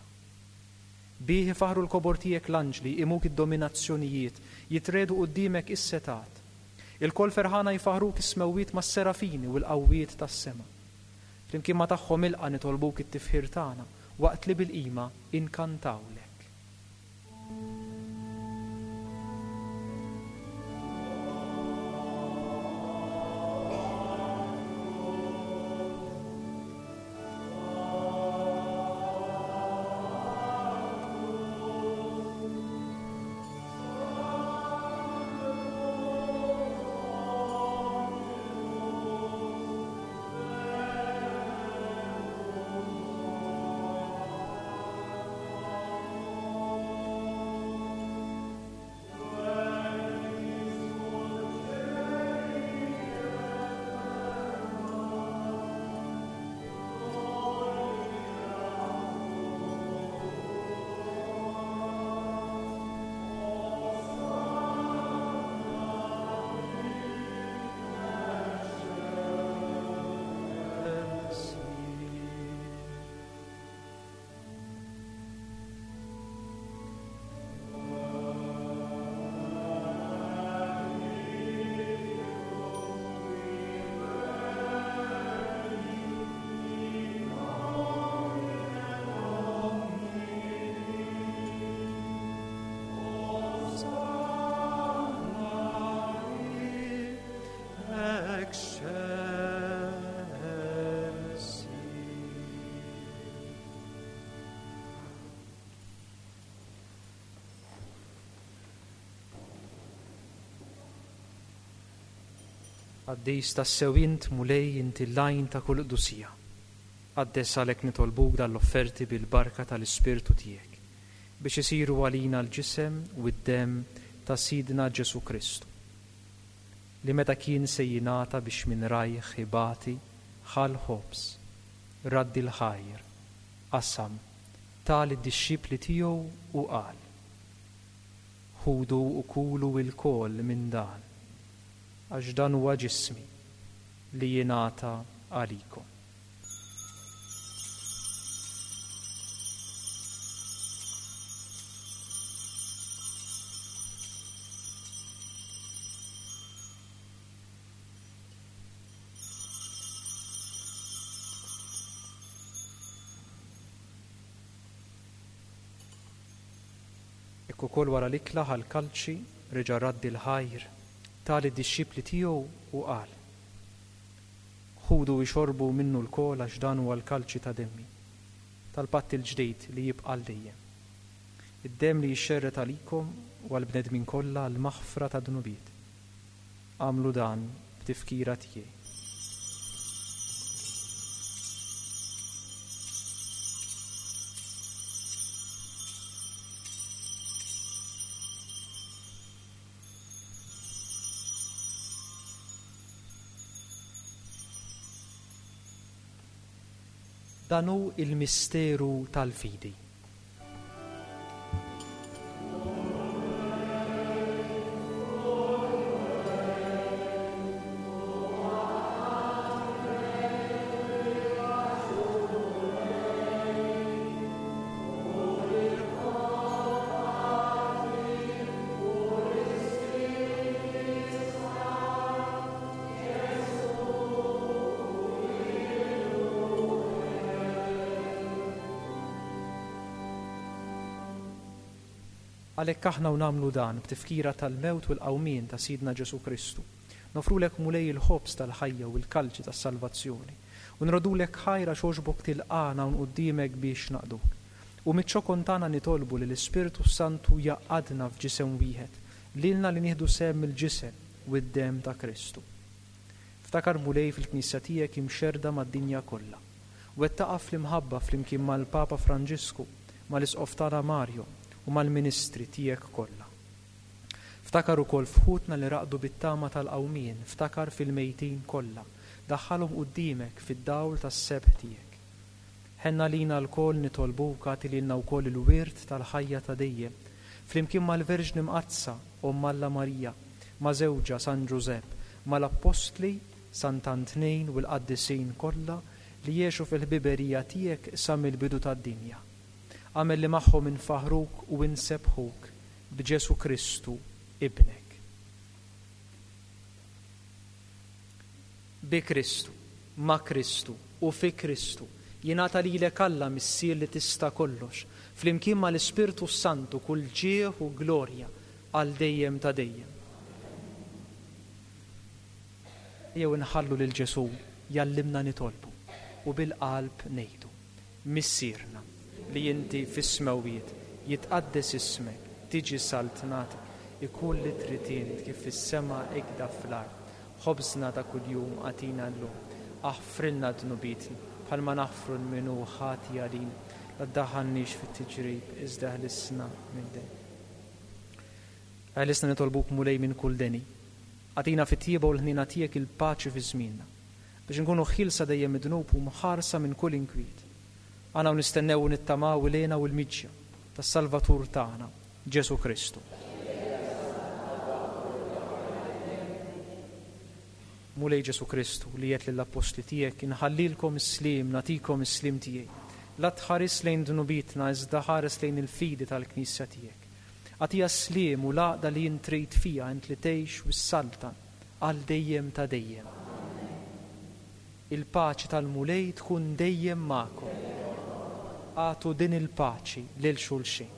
Bih ifaħru l-kobor tiegħek l-anġli, imuk id-dominazzjonijiet, jitredu quddiemek is-setat. Il-kol ferħana jfaħruk is-smewwiet mas-serafini u l-qawwiet tas-sema. Flimkien ma tagħhom ilqa nitolbuk it-tifħir tagħna waqt li bil-qima inkantawlek. Qaddis tassew int, Mulej, inti l-għajn ta' kull qdusija. Qaddes għalhekk nitolbuk dal-offerti bil-barka tal-Ispirtu tiegħek biex isiru għalina l-ġisem u d-demm ta' Sidna Ġesu Kristu, li meta kien se jingħata biex minn rajh ibati ħa l-ħobż, raddi l-ħajr, qasam, ta lid-dixxipli tiegħu u qal: Ħudu u kulu lkoll minn dan, għax dan huwa ġismi li jingħata għalikom. Hekk ukoll wara l-ikla ħa l-kalċi, reġa' raddi l-ħajr, ta lid-dixxipli tiegħu u qal: Ħudu u ixorbu minnu lkoll għax dan huwa l-kalċi ta' demmi, tal-patt il-ġdid li jibqa' għal dejjem. Id-demm li jixxerred għalikom u għall-bnedmin kollha għall-maħfra ta' dnubiet. Agħmlu dan b'tifkira tiegħi. Dan hu il-misteru tal-fidi. Għalhekk aħna u nagħmlu dan b'tifkira tal-mewt u l-qawmien ta' Sidna Ġesù Kristu. Nofrulek Mulej il-ħobż tal-ħajja u l-kalċi tas-salvazzjoni. U nrodulek ħajra xogħbok tilqana un quddiemek biex naqduk. U miċ-ċokon tagħna nitolbu li l-Ispirtu Santu jaqadna f'ġisem wieħed, lilna li nieħdu sehem mill-ġisem u d-demm ta' Kristu. Ftakar Mulej fil-Knisja tiegħek imxerda mad-dinja kollha. Wettaqa fl-imħabba flimkien mal-Papa Franġisku, mal-Isqof tagħna Mario u mal-ministri tiegħek kollha. Ftakar ukoll f'ħutna li raqdu bit-tama tal-qawmien, ftakar fil-mejtin kollha, daħħalhom quddiemek fid-dawl tas-sebħ tiegħek. Ħenna lina lkoll nitolbuk agħti lilna wkoll il-wirt tal-ħajja ta' dejjem, flimkien mal-Verġni Mqaddsa, Omm Alla Marija, ma' żewġha San Ġużepp, mal-Appostli Sant'Antnin u l-qaddisin kollha li jgħixu fil-ħbiberija tiegħek sa mill-bidu tad-dinja. Agħmel li magħhom infaħruk u insebbħuk b'Ġesù Kristu ibnek. Bi Kristu, ma' Kristu u fi Kristu jingħata lilek Alla Missier li tista' kollox, flimkien mal-Ispirtu Santu kull ġieħ u glorja għal dejjem ta' dejjem. Jew inħallu lil Ġesù jallimna nitolbu u bil-qalb ngħidu: Missierna li inti fis-smewwiet, jitqaddes ismek, tiġi saltnatek, ikun li trid int kif fis-sema ikda fl-art. Ħobżna ta' kuljum agħtina llum, aħfrilna dnubietna bħalma naħfru lil min hu ħati għalina, la ddaħħalniex fit-tiġrib iżda ħlisna minn deni. Ħlisna nitolbuk Mulej minn kull deni. Agħtina fit-tjieba u l-ħniena tiegħek il-paċi fi żmienna, biex inkunu ħielsa dejjem mid-dnub u mħarsa minn kull inkwiet. Aħna u nistennew u nittamaw il-hena u l-miġja tas-Salvatur tagħna, Ġesù Kristu. Mulej Ġesù Kristu, li għedt lill-appostli tiegħek, inħallilkom is-sliem, nagħtikom is-sliem tiegħi. La tħares lejn dnubietna, iżda ħares lejn il-fidi tal-Knisja tiegħek. Agħtiha s-sliem u l-għaqda li int trid fiha, int li tgħix u ssaltan għal dejjem ta' dejjem. Il-paċi tal-Mulej tkun dejjem magħkom. Agħtu din il-paċi lil xulxin.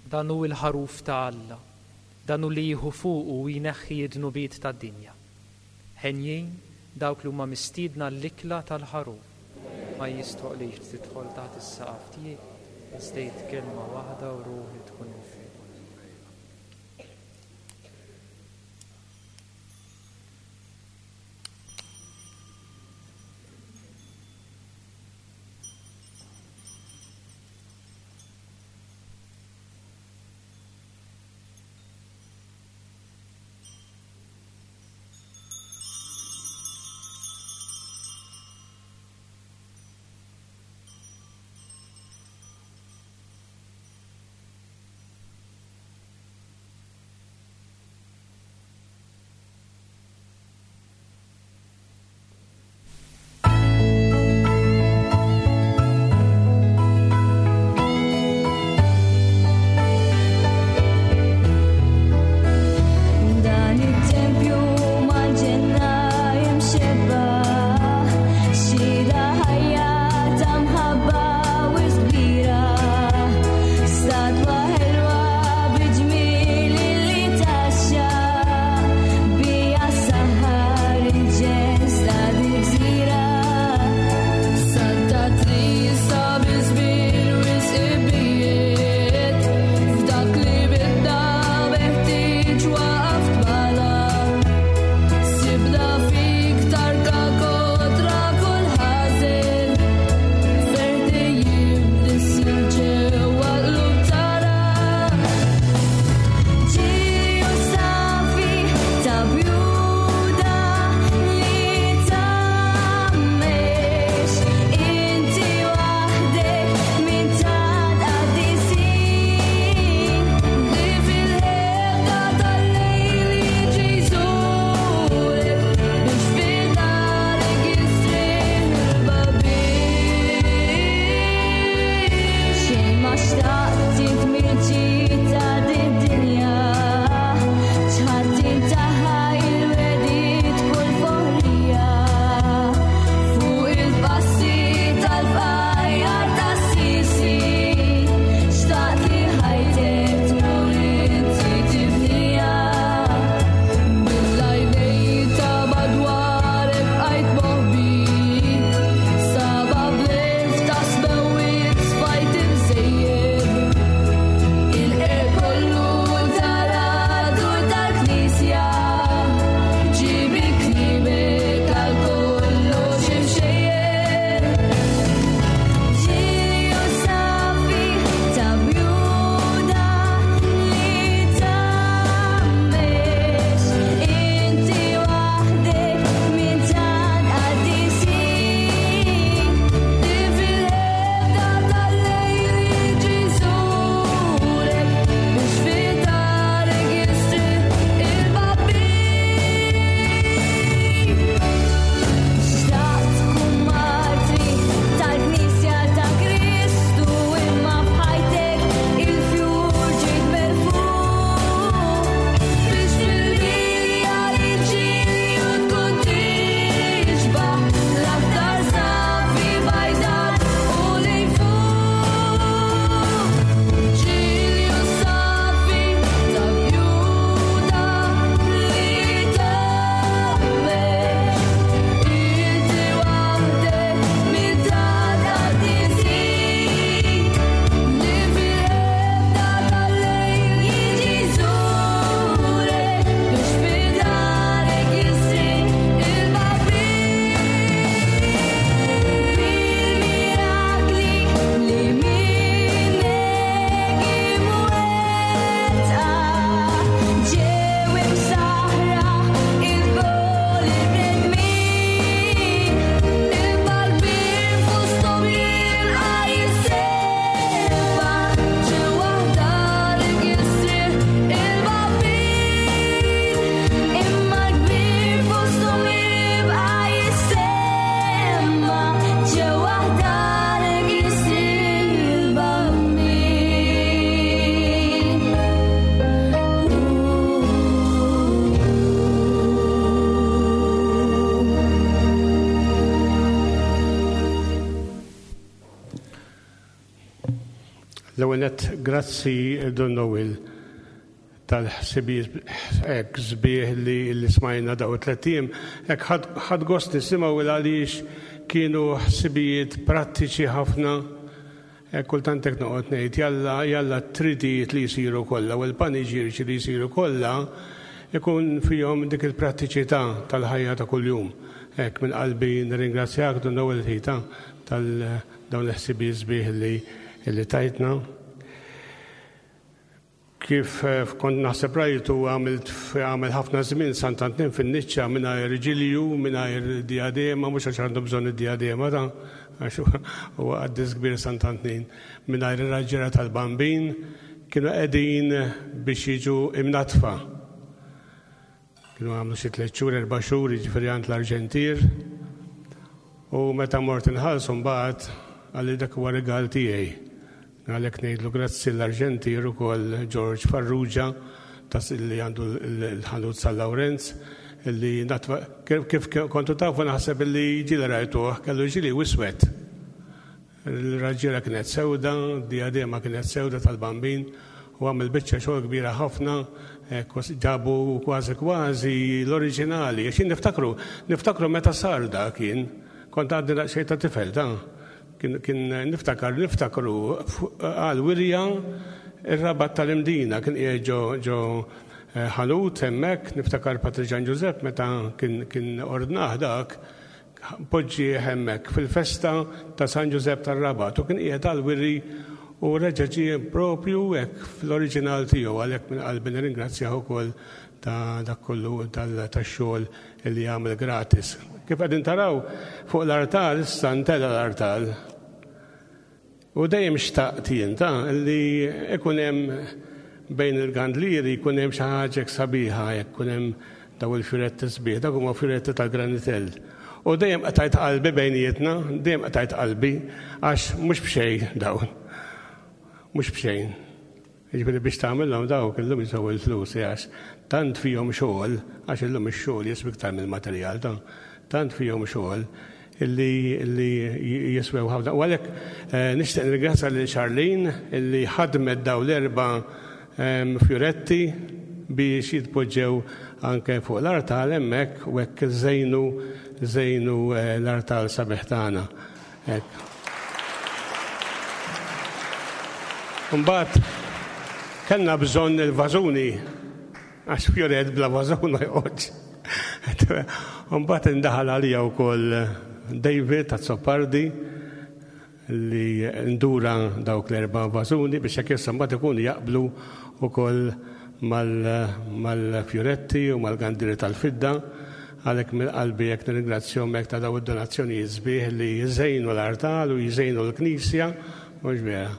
Dan hu l-ħaruf ta' Alla, dan hu li jieħu fuqu u jneħħi d-dnubiet tad-dinja. Ħenjin dawk li huma mistiedna l-ikla tal-ħaruf. Ma jistħoqlix tidħol taħt is-saqaf tiegħi, iżda għid kelma waħda u ruħi tkun infejqa. L-ewwel nett, grazzi Dun Noel tal-ħsibijiet hekk sbieħ li, li smajna daw it-tlett ijiem. Hekk ħadt gost nisimgħu għaliex kienu ħsibijiet prattiċi ħafna. Hekk kultant hekk noqgħod ngħid jalla jalla t-tridijiet li jsiru kollha u l-paniġiriċi li jsiru kollha ikun fihom dik il-prattiċità tal-ħajja ta' kuljum. Hekk minn qalbi nirringrazzjak Dun Noel ħita tal-dawn il-ħsibijiet sbieħ li li tajtna. Kif kont naħseb rajtu għamilt għamel ħafna żmien Sant'Antnin fin-niċċa mingħajr ġilju, mingħajr diadema, mhux għax għandu bżonn id-diadema ta' għax huwa qaddis kbir Sant'Antnin, mingħajr ir-raġġiera tal-Bambin kienu qegħdin biex jiġu imnatfa. Kienu għamlu xi tliet xhur, erba' xhur, jiġifieri għand l-Arġentier. U meta mort inħallsu mbagħad qalli dak huwa rigal tiegħi. Għalhekk ngħidlu grazzi l-Arġentier ukoll George Farrugia tas li għandu l-ħanut San Lawrenz li natfa kif kontu tafu naħseb li ġieli rajtuh kellu ġili wiswed. Il-raġġiera kienet sewda, diadema kienet sewda tal-Bambin u għamel biċċa xogħol kbira ħafna, ġabu kważi kważi l-oriġinali. Għax niftakru, niftakru meta sar da kien, kont għadni daqsxejn ta' tifel ta' kien, kien niftakar, niftakru għal wirja ir-Rabat tal-Imdina, kien qiegħed ġo, ġo ħanut hemmhekk, niftakar Patri Ġan Ġużepp meta kien, kien ordnah dak, poġġi hemmhekk fil-festa ta' San Ġużepp tar-Rabat u kien qiegħed għal wiri u reġa' ġie propju hekk fl-oriġinal tiegħu, għalhekk minn qalbi nirringrazzjah ukoll ta' dak kollu tax-xogħol li jagħmel gratis. Kif qegħdin taraw fuq l-artal issa ntela l-artal. U dejjem xtaqt jien ta' li ikun hemm bejn il-gandlieri jkun hemm xi ħaġa sabiħa, jekk ikun hemm daw il-fjuretti sbieħ, dak huma fjuretti tal-granitell. U dejjem qtajt qalbi bejnietna, dejjem qtajt qalbi għax mhux b'xejn dawn. Mhux b'xejn. Jiġifieri biex tagħmilhom dawk illum jiswew il-flus għax tant fihom xogħol, għax illum ix-xogħol jiswi iktar mill-materjal ta' tant fihom xogħol illi, illi jiswew ħafna. U għalhekk nixtieq nirringrazzja lil Charlene illi ħadmet daw l-erba' fjuretti biex jitpoġġew anke fuq l-artal hemmhekk u hekk żejnu, żejnu l-artal sabiħ tagħna. Hekk. Imbagħad kellna bżonn il-vażuni għax fjuret bla vażun ma joqgħodx. Imbagħad indaħal għalija wkoll David Azzopardi li ndura dawk l-erba' vażuni biex hekk issa mbagħad ikunu jaqblu wkoll mal-fjuretti u mal-gandiri tal-fidda. Għalhekk minn qalbi hekk nirringrazzjahom hekk ta' daw id-donazzjonijiet sbieħ li jżejnu l-artal u jżejnu l-knisja, mhux vera.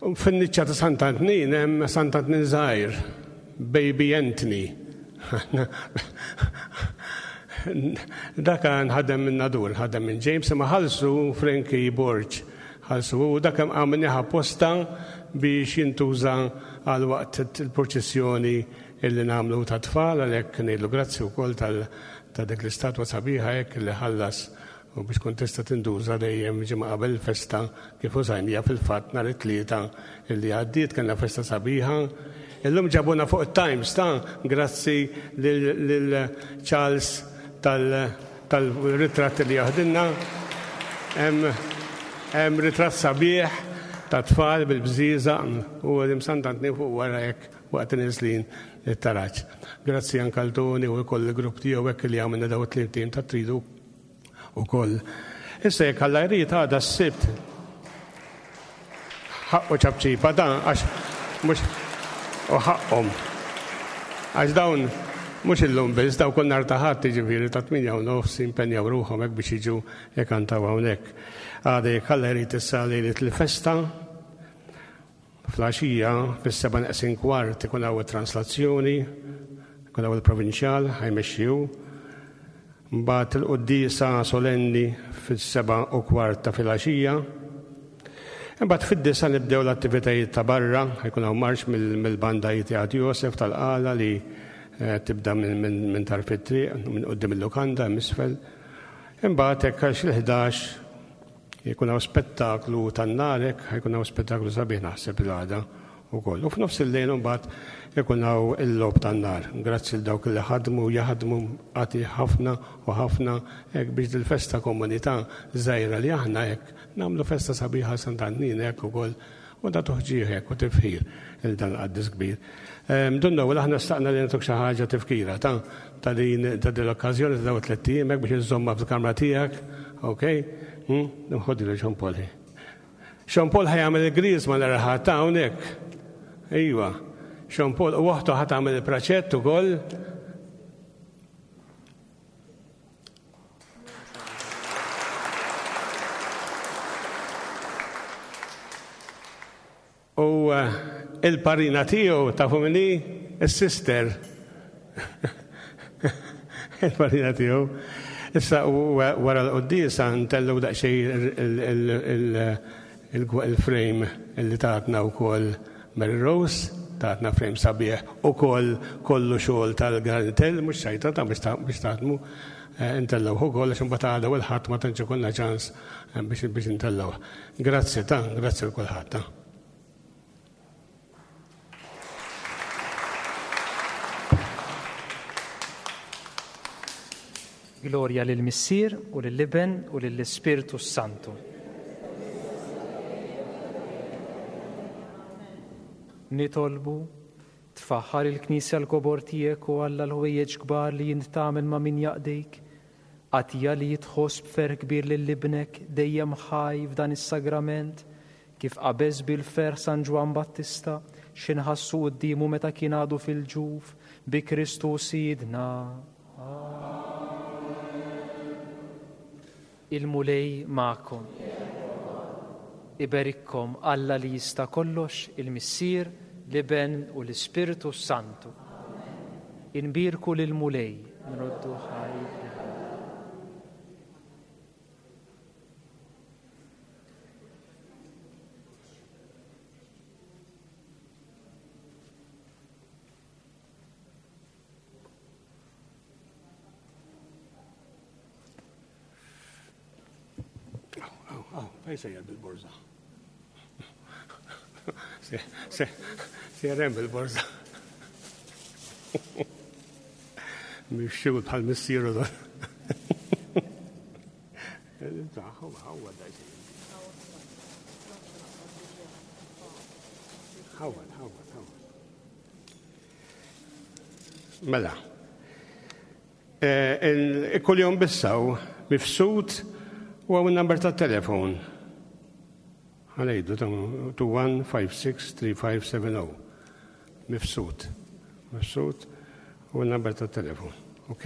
U fin-niċċa ta' Sant'Antnin hemm Sant'Antnin żgħir, Baby Anthony. Dak nħadem minn Nadur, nħadem minn James, imma ħallsu Frankie Borg, ħallsu u dak hemm għamilniha apposta biex jintuża għal waqt il-proċessjoni illi nagħmlu ta' tfal, għalhekk ngħidlu grazzi wkoll ta' dik l-istatwa sabiħa hekk li ħallas u biex tkun tista' tinduża dejjem ġimgħa qabel il-festa kif użajnija fil-fatt nhar it-Tlieta illi għaddiet kellna festa sabiħa. Illum ġabuna fuq it-Times ta' grazzi lil Charles tal-ritratti li jaħdilna. Hemm ritratt sabiħ ta' tfal bil-bżieżaq u l-Sant'Antnin fuq wara hekk waqt niżlin it-taraġ. Grazzi anke għal Tony u wkoll il-grupp tiegħu hekk li għamilna daw it-tliet tim ta' tridu ukoll. Issa jekk Alla jrid għada s-Sibt ħaqqu ċapċipa dan għax mhux u ħaqqhom. Għax dawn mhux illum biss, daw kull nhar ta' Ħadd jiġifieri ta' tmienja u nofs jimpenjaw ruħhom hekk biex jiġu jkantaw hawnhekk. Għada jekk Alla jrid issa lejlet il-festa, fl-għaxija fis-seba' neqsin kwart ikun hawn it-translazzjoni, ikun hawn il-provinċjal ħajmexxi hu. Mbagħad il-quddiesa solenni fis-seba' u kwart ta' filgħaxija. Imbagħad fid-disa nibdew l-attivitajiet ta' barra, ħajkun hawn marx mill-banda Jitiegħat Josef tal-Qala li tibda minn tarf it-triq, minn quddiem il-lukanda hemm isfel. Imbagħad hekk għax il-ħdax Jkun hawn spettaklu tan-nar hekk, ħajkun hawn spettaklu sabiħ naħseb il-għada ukoll. U f'nofs il-lejl imbagħad ikun hawn il-logħob tan-nar. Grazzi l dawk li ħadmu jaħdmu għati ħafna u ħafna hekk biex dil-festa komunità żgħira li aħna hekk nagħmlu festa sabiħa Sant'Antnin hekk ukoll u da tuħġieħ hekk u tifħir il dan qaddis kbir. Dunna u aħna staqna li nagħtuk xi ħaġa tifkira ta' ta' din ta' din l-okkażjoni ta' dawn it-tliet ijiem hekk biex iżżommha fil-kamra tiegħek, okej? Nħoddi lil Jean Paul. Jean Paul ħajamel il-griżma nhar il-Ħadd ta' hawnhekk. Iva. Jean Paul u oħtu ħa tagħmel il-praċett ukoll. U il-parina tiegħu tafu min hi? Is-sister. Il-parina tiegħu. Issa wara l-quddiesa ntellu daqsxejn il-frame li tatna wkoll Mary Rose, tatna frame sabiħ ukoll kollu xogħol tal-Granitell, mhux xajta ta' biex taħdmu, intellgħuh ukoll għax imbagħad għada u l-Ħadd ma tantx ikollna ċans biex intellgħuh. Grazzi ta' grazzi l kulħadd ta'. Gloria lil Missier u lill-Iben u lill-Ispirtu Santu. Nitolbu, tfaħħar il-Knisja l-kobor tiegħek u Alla l-ħwejjeġ kbar li int tagħmel ma' min jaqdejk. Għatija li jitħoss b'ferħ kbir lil ibnek dejjem ħaj f'dan is-sagrament, kif qabeż bil-ferħ San Ġwann Battista x'inħassu quddiemu meta kien għadu fil-ġuf bi Kristu Sidna. Il-Mulej magħkom. Iberikkom Alla li jista' kollox, il-Missier, l-Iben u l-Ispirtu Santu. Inbierku lill-Mulej, nroddu ħaj. Fej sejjer bil-borża. Sejjer hemm bil-borża. Mhix xi bħal missieru dan. Ħawad, ħawad, ħawad. Mela. Kull jum bissaw mifsud u għaw il-number ta' telefon. Għalejdu, two one five six three five seven oh. Mifsud. Mifsud u il-number ta' telefon. Ok?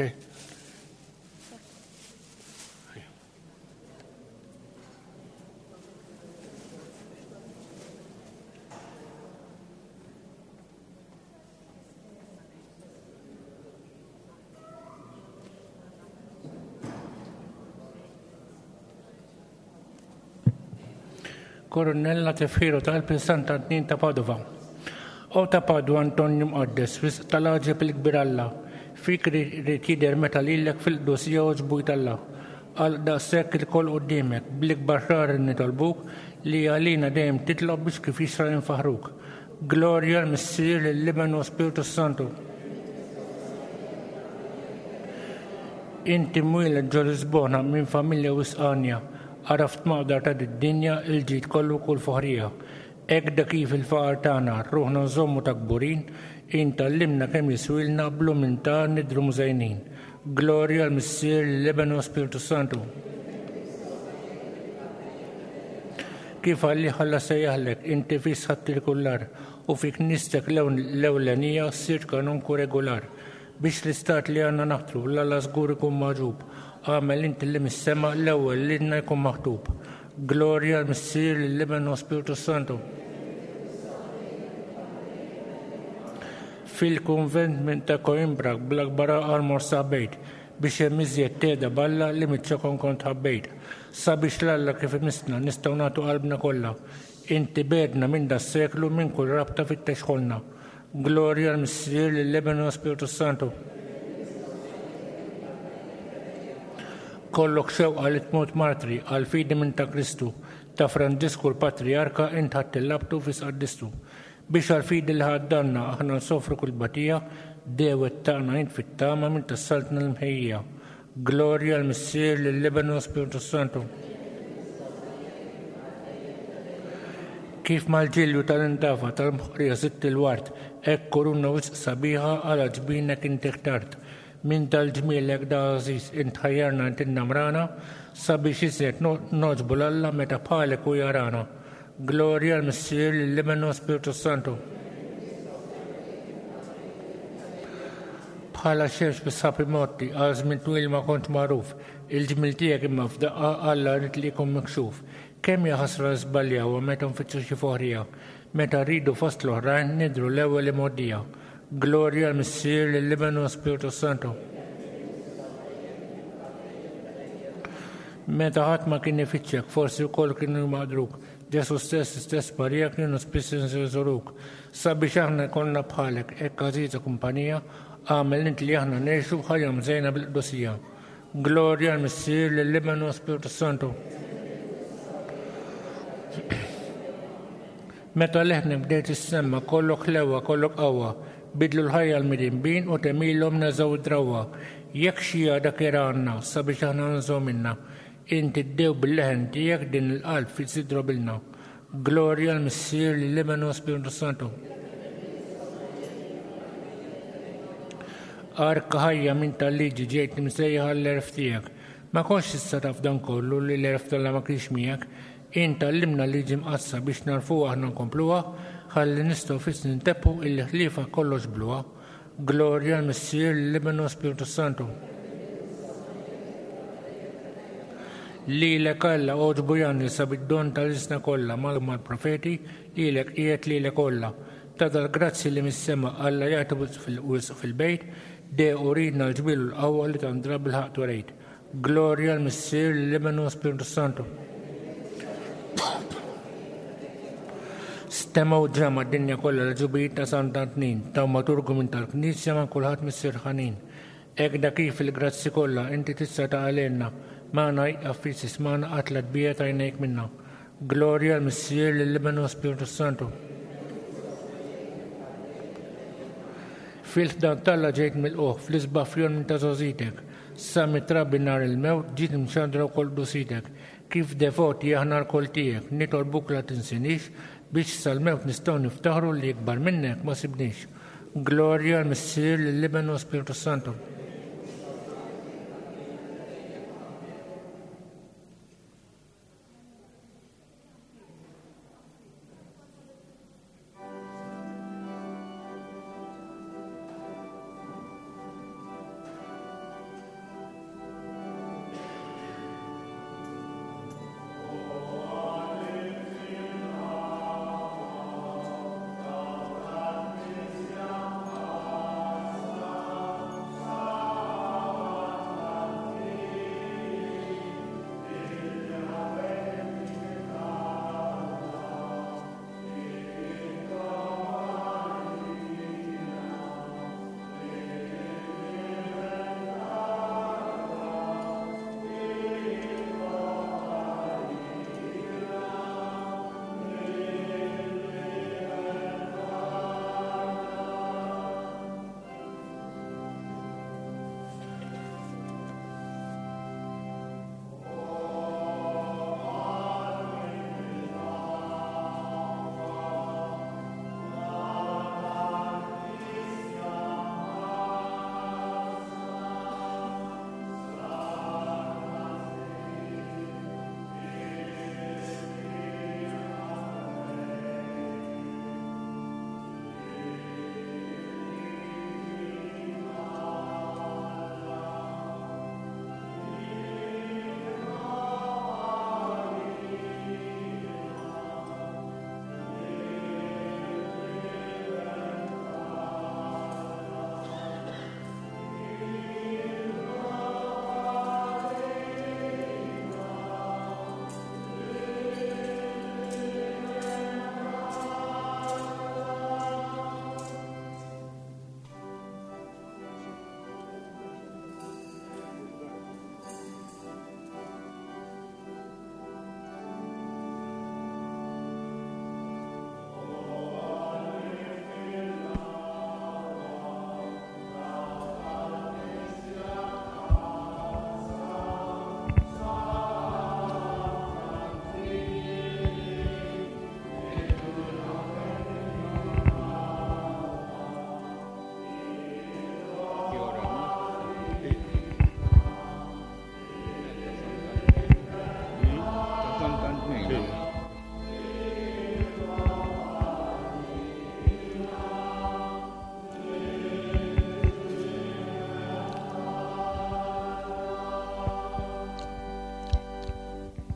Koronella tifħiru tal-Qalb Sant'Antnin ta' Padova. O ta' Padua Antonju Mqaddes, wisq tal-għaġeb il-kbir Alla, fik ried jidher meta lilek fil-qdusija għoġbu Alla. Għal daqshekk ilkoll quddiemek, bl-ikbar ħrar nitolbuk li għalina dejjem titlob biex kif jixra infaħruk. Glorja l-Missier, lill-Iben u Spiritu Santu. Inti mwieled ġo Lisbona minn familja wisqanja, għaraft maqdar ta' d-dinja il-ġid kollu kull foħrija. Hekk da kif il-faqar tagħna ruħna nżommu ta' kburin, intallimna kemm jiswilna bl-umiltà nidhru mużejnin. Glorja l-Missier, l-Iben u Spiritu Santu. Kif għalli ħalla sejjaħlek, inti fis ħadd il-kullar u fi knistek l-ewlenija ssir kanonku regolar. Biex l-istat li għandna naħtru l-Alla żgur ikun magħġub, għamel inti li mis-sema l-ewwel lilna jkun maħtub. Glorja l-Missier, l-Iben u Spiritu Santu. Fil-kunvent minn ta' Coimbra bl-akbar għaqal mor saħbejt biex hemm iżjed teda balla li miċ-ċokon kont ħabbejt. Sabiex l-Alla kif imissna nistgħu nagħtu qalbna kollha. Inti bedna minn das-seklu minn kull rabta fittex ħolna. Glorja l-Missier, l-Iben u Spiritu Santu. Kollok xewqa li tmut martri għal fidi minn ta' Kristu, ta' Franġisku l-Patrijarka int ħadd il-labtu fis qaddistu. Biex għal fidi li ħaddanna aħna nsofru kull batija, dewet tagħna int fit-tama minn tas-saltna l-mħejja. Glorja l-Missier, lill-Iben u Spiritu Santu. Kif mal-ġilju tal-indafa tal-mħorija sitt il-wart, hekk kuruna wisq sabiħa għal ġbinek inti ħtart. Min tal-ġmielek da għażiż int ħajjarna int innamrana, sabiex iżjed noġbu l-Alla meta bħalek u jarana. Glorja l-Missier, lill-Iben u Spiritu Santu. Bħala xemx bis-sapi motti, għal żmien twil ma kont magħruf, il-ġmiel tiegħek imma f'daqqa Alla rid li jkun miksuf. Kemm hija ħasra żbaljaw meta nfittxu xi foħrija, meta rridu fost l-oħrajn nidru l-ewwel imgħoddija. Glorja l-Missier, lill-Iben u Spiritu Santu. Meta ħadd ma kien ifittxek, forsi wkoll kienu jmaqdruk. Ġesu stess, stess Marija kienu spiss inżuruk. Sabiex aħna jkollna bħalek, hekk għażiża kumpanija, għamel int li aħna ngħixu ħajja mżejna bil-qdusija. Glorja l-Missier, lill-Iben u Spiritu Santu. Meta leħnek bdejt issemma, kollok ħlewa, kollok qawwa, bidlu l-ħajja l-midinbin u temilhom neżgħu d-drawwa. Jekk xi għada kieranna sabiex aħna nżgħu minna, inti ddew bil-leħen tiegħek din il-qalb fi sidro bilna. Glorja l-Missier, lill-Iben u Spiritu Santu. Arka ħajja minn tal-liġi ġejt imsejjaħ għall-erf tiegħek. Ma kontx issa taf dan kollu li l-erf tal ma kienx miegħek. Int għallimna liġi mqaddsa biex narfuha aħna nkompluha, ħalli nistgħu fis nintebħu illi ħliefa kollox bluha. Glorja l-Missier, lill-Iben u Spiritu Santu. Lilek Alla għoġbu janni sabid-don tal-isna kollha mal-profeti, lilek qiegħed lilek kollha. Ta' dal-grazzi li mis-sema Alla jagħti wisq fil-bejt, de uridna l-ġmiel u l-qawwa li tandra bil-ħaqq turejt. Glorja l-Missier, lill-Iben u Spiritu Santu. Stemgħu ġrama d-dinja kollha l-ġubijiet ta' Sant'Antnin, taw maturgu minn tal-Knisja ma' kulħadd missier ħanin. Hekk da kif il-grazzi kollha inti tista' taqalilna, magħna jqaf fis ismana qatla tbija tajnejk minna. Glorja l-Missier, lill-Iben u Spiritu Santu. Fil-ħdan talla ġejt mill-qoħ, fl-isbaħ fjon minn ta' żgħożitek, sa mitrabi nhar il-mewt ġiet imxandra wkoll dusitek. Kif devoti aħna l-kol tiegħek, nitolbuk la tinsinix, biex sal-mewt nistgħu niftaħru li ikbar minnek ma sibniex. Glorja l-Missier, lill-Iben u Spiritu Santu. Amen.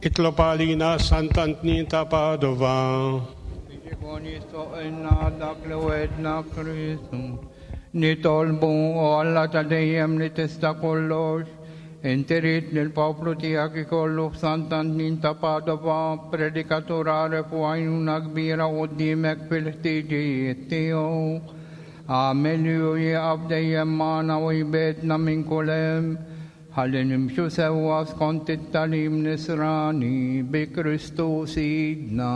Itlob għalina Sant'Antnin ta' Padova. Biex ikun jistoqilna dak li wegħedna Kristu. Nitolbu o Alla ta' dejjem li tista' kollox, inti ridt li l-poplu tiegħek ikollu f'Sant'Antnin ta' Padova predikatur għaref u għajnuna kbira quddiemek fil-ħtiġijiet tiegħu. Agħmel li hu jieqaf dejjem magħna u jbegħedna minn kull hemm, ħalli nimxu sewwa skont it-tagħlim nisrani bi Kristu Sidna.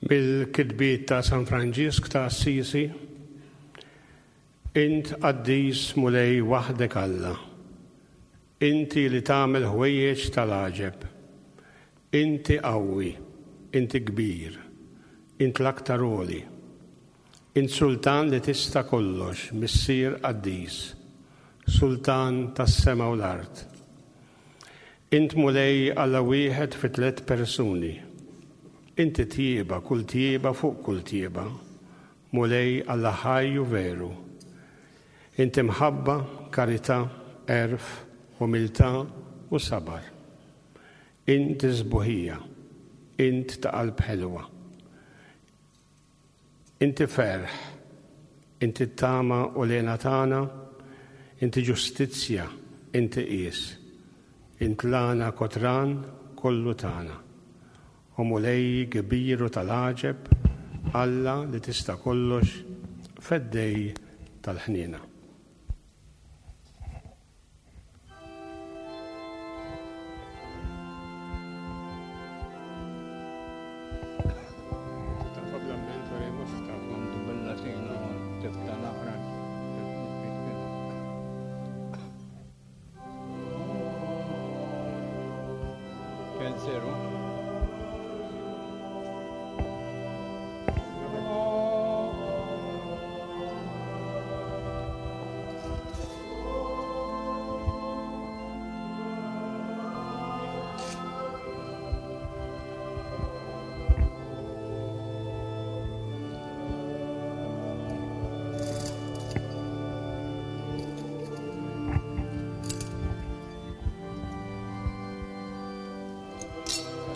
Bil-kitbiet ta' San Franġisk ta' Assisi, int qaddis Mulej waħdek Alla, inti li tagħmel ħwejjeġ tal-għaġeb, inti qawwi, inti kbir, int l-aktar għoli, int sultan li tista' kollox, missier qaddis, sultan tas-sema u l-art. Int Mulej Alla wieħed fi tliet persuni. Inti tjieba, kull tjieba fuq kull tjieba, Mulej Alla ħaj u veru. Inti mħabba, karità, għerf, umiltà u sabar. Inti sbuħija, int ta' qalb ħelwa. Inti ferħ, inti tama u lena tagħna, inti ġustizzja, inti qies. Int lana kotran kollu tagħna. O Mulej kbir u tal-għaġeb, Alla li tista' kollox, feddej tal-ħniena. Thank you.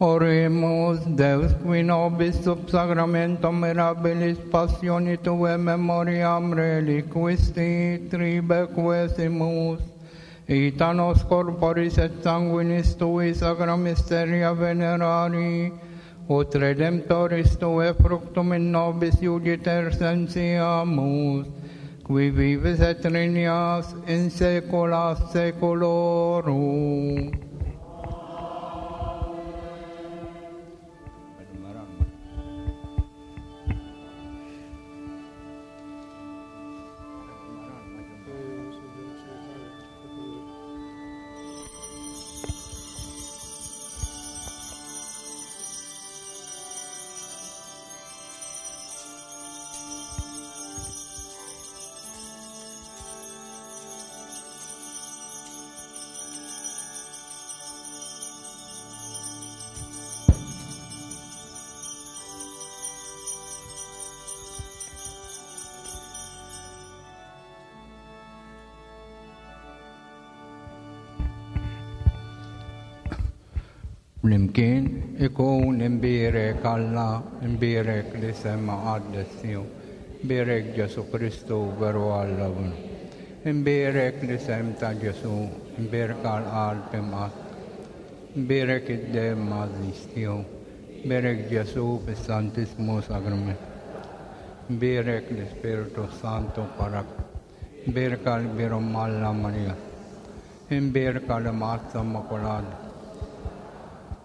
Oremus, Deus qui nobis sub sacramentum mirabilis passioni Tue memoriam reliquisti tribequesimus, ita nos corporis et sanguinis Tui sacra mysteria venerari, ut redemptoris Tue fructum in nobis iugiter sentiamus, qui vives et regnas in saecula saeculorum. Flimkien ikun imbierek Alla, imbierek li sema qaddes tiegħu, imbierek Ġesu Kristu veru Alla. Imbierek li sem ta' Ġesu, imbierek għal-qalb imqatt, imbierek id-demm għażiż tiegħu, imbierek Ġesu fis-Santissmu Sagrament, imbierek l-Ispirtu Santu parak, imbierek għall-Kbir Alla Marija, imbierek għall-Imqaddsa Immakulata,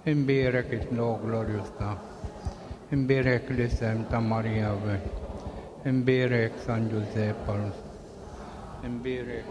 imbierek it-tluq glorjuż ta' imbierek l-isem ta' Marija Ver, imbierek San Giuseppe Parus, imbierek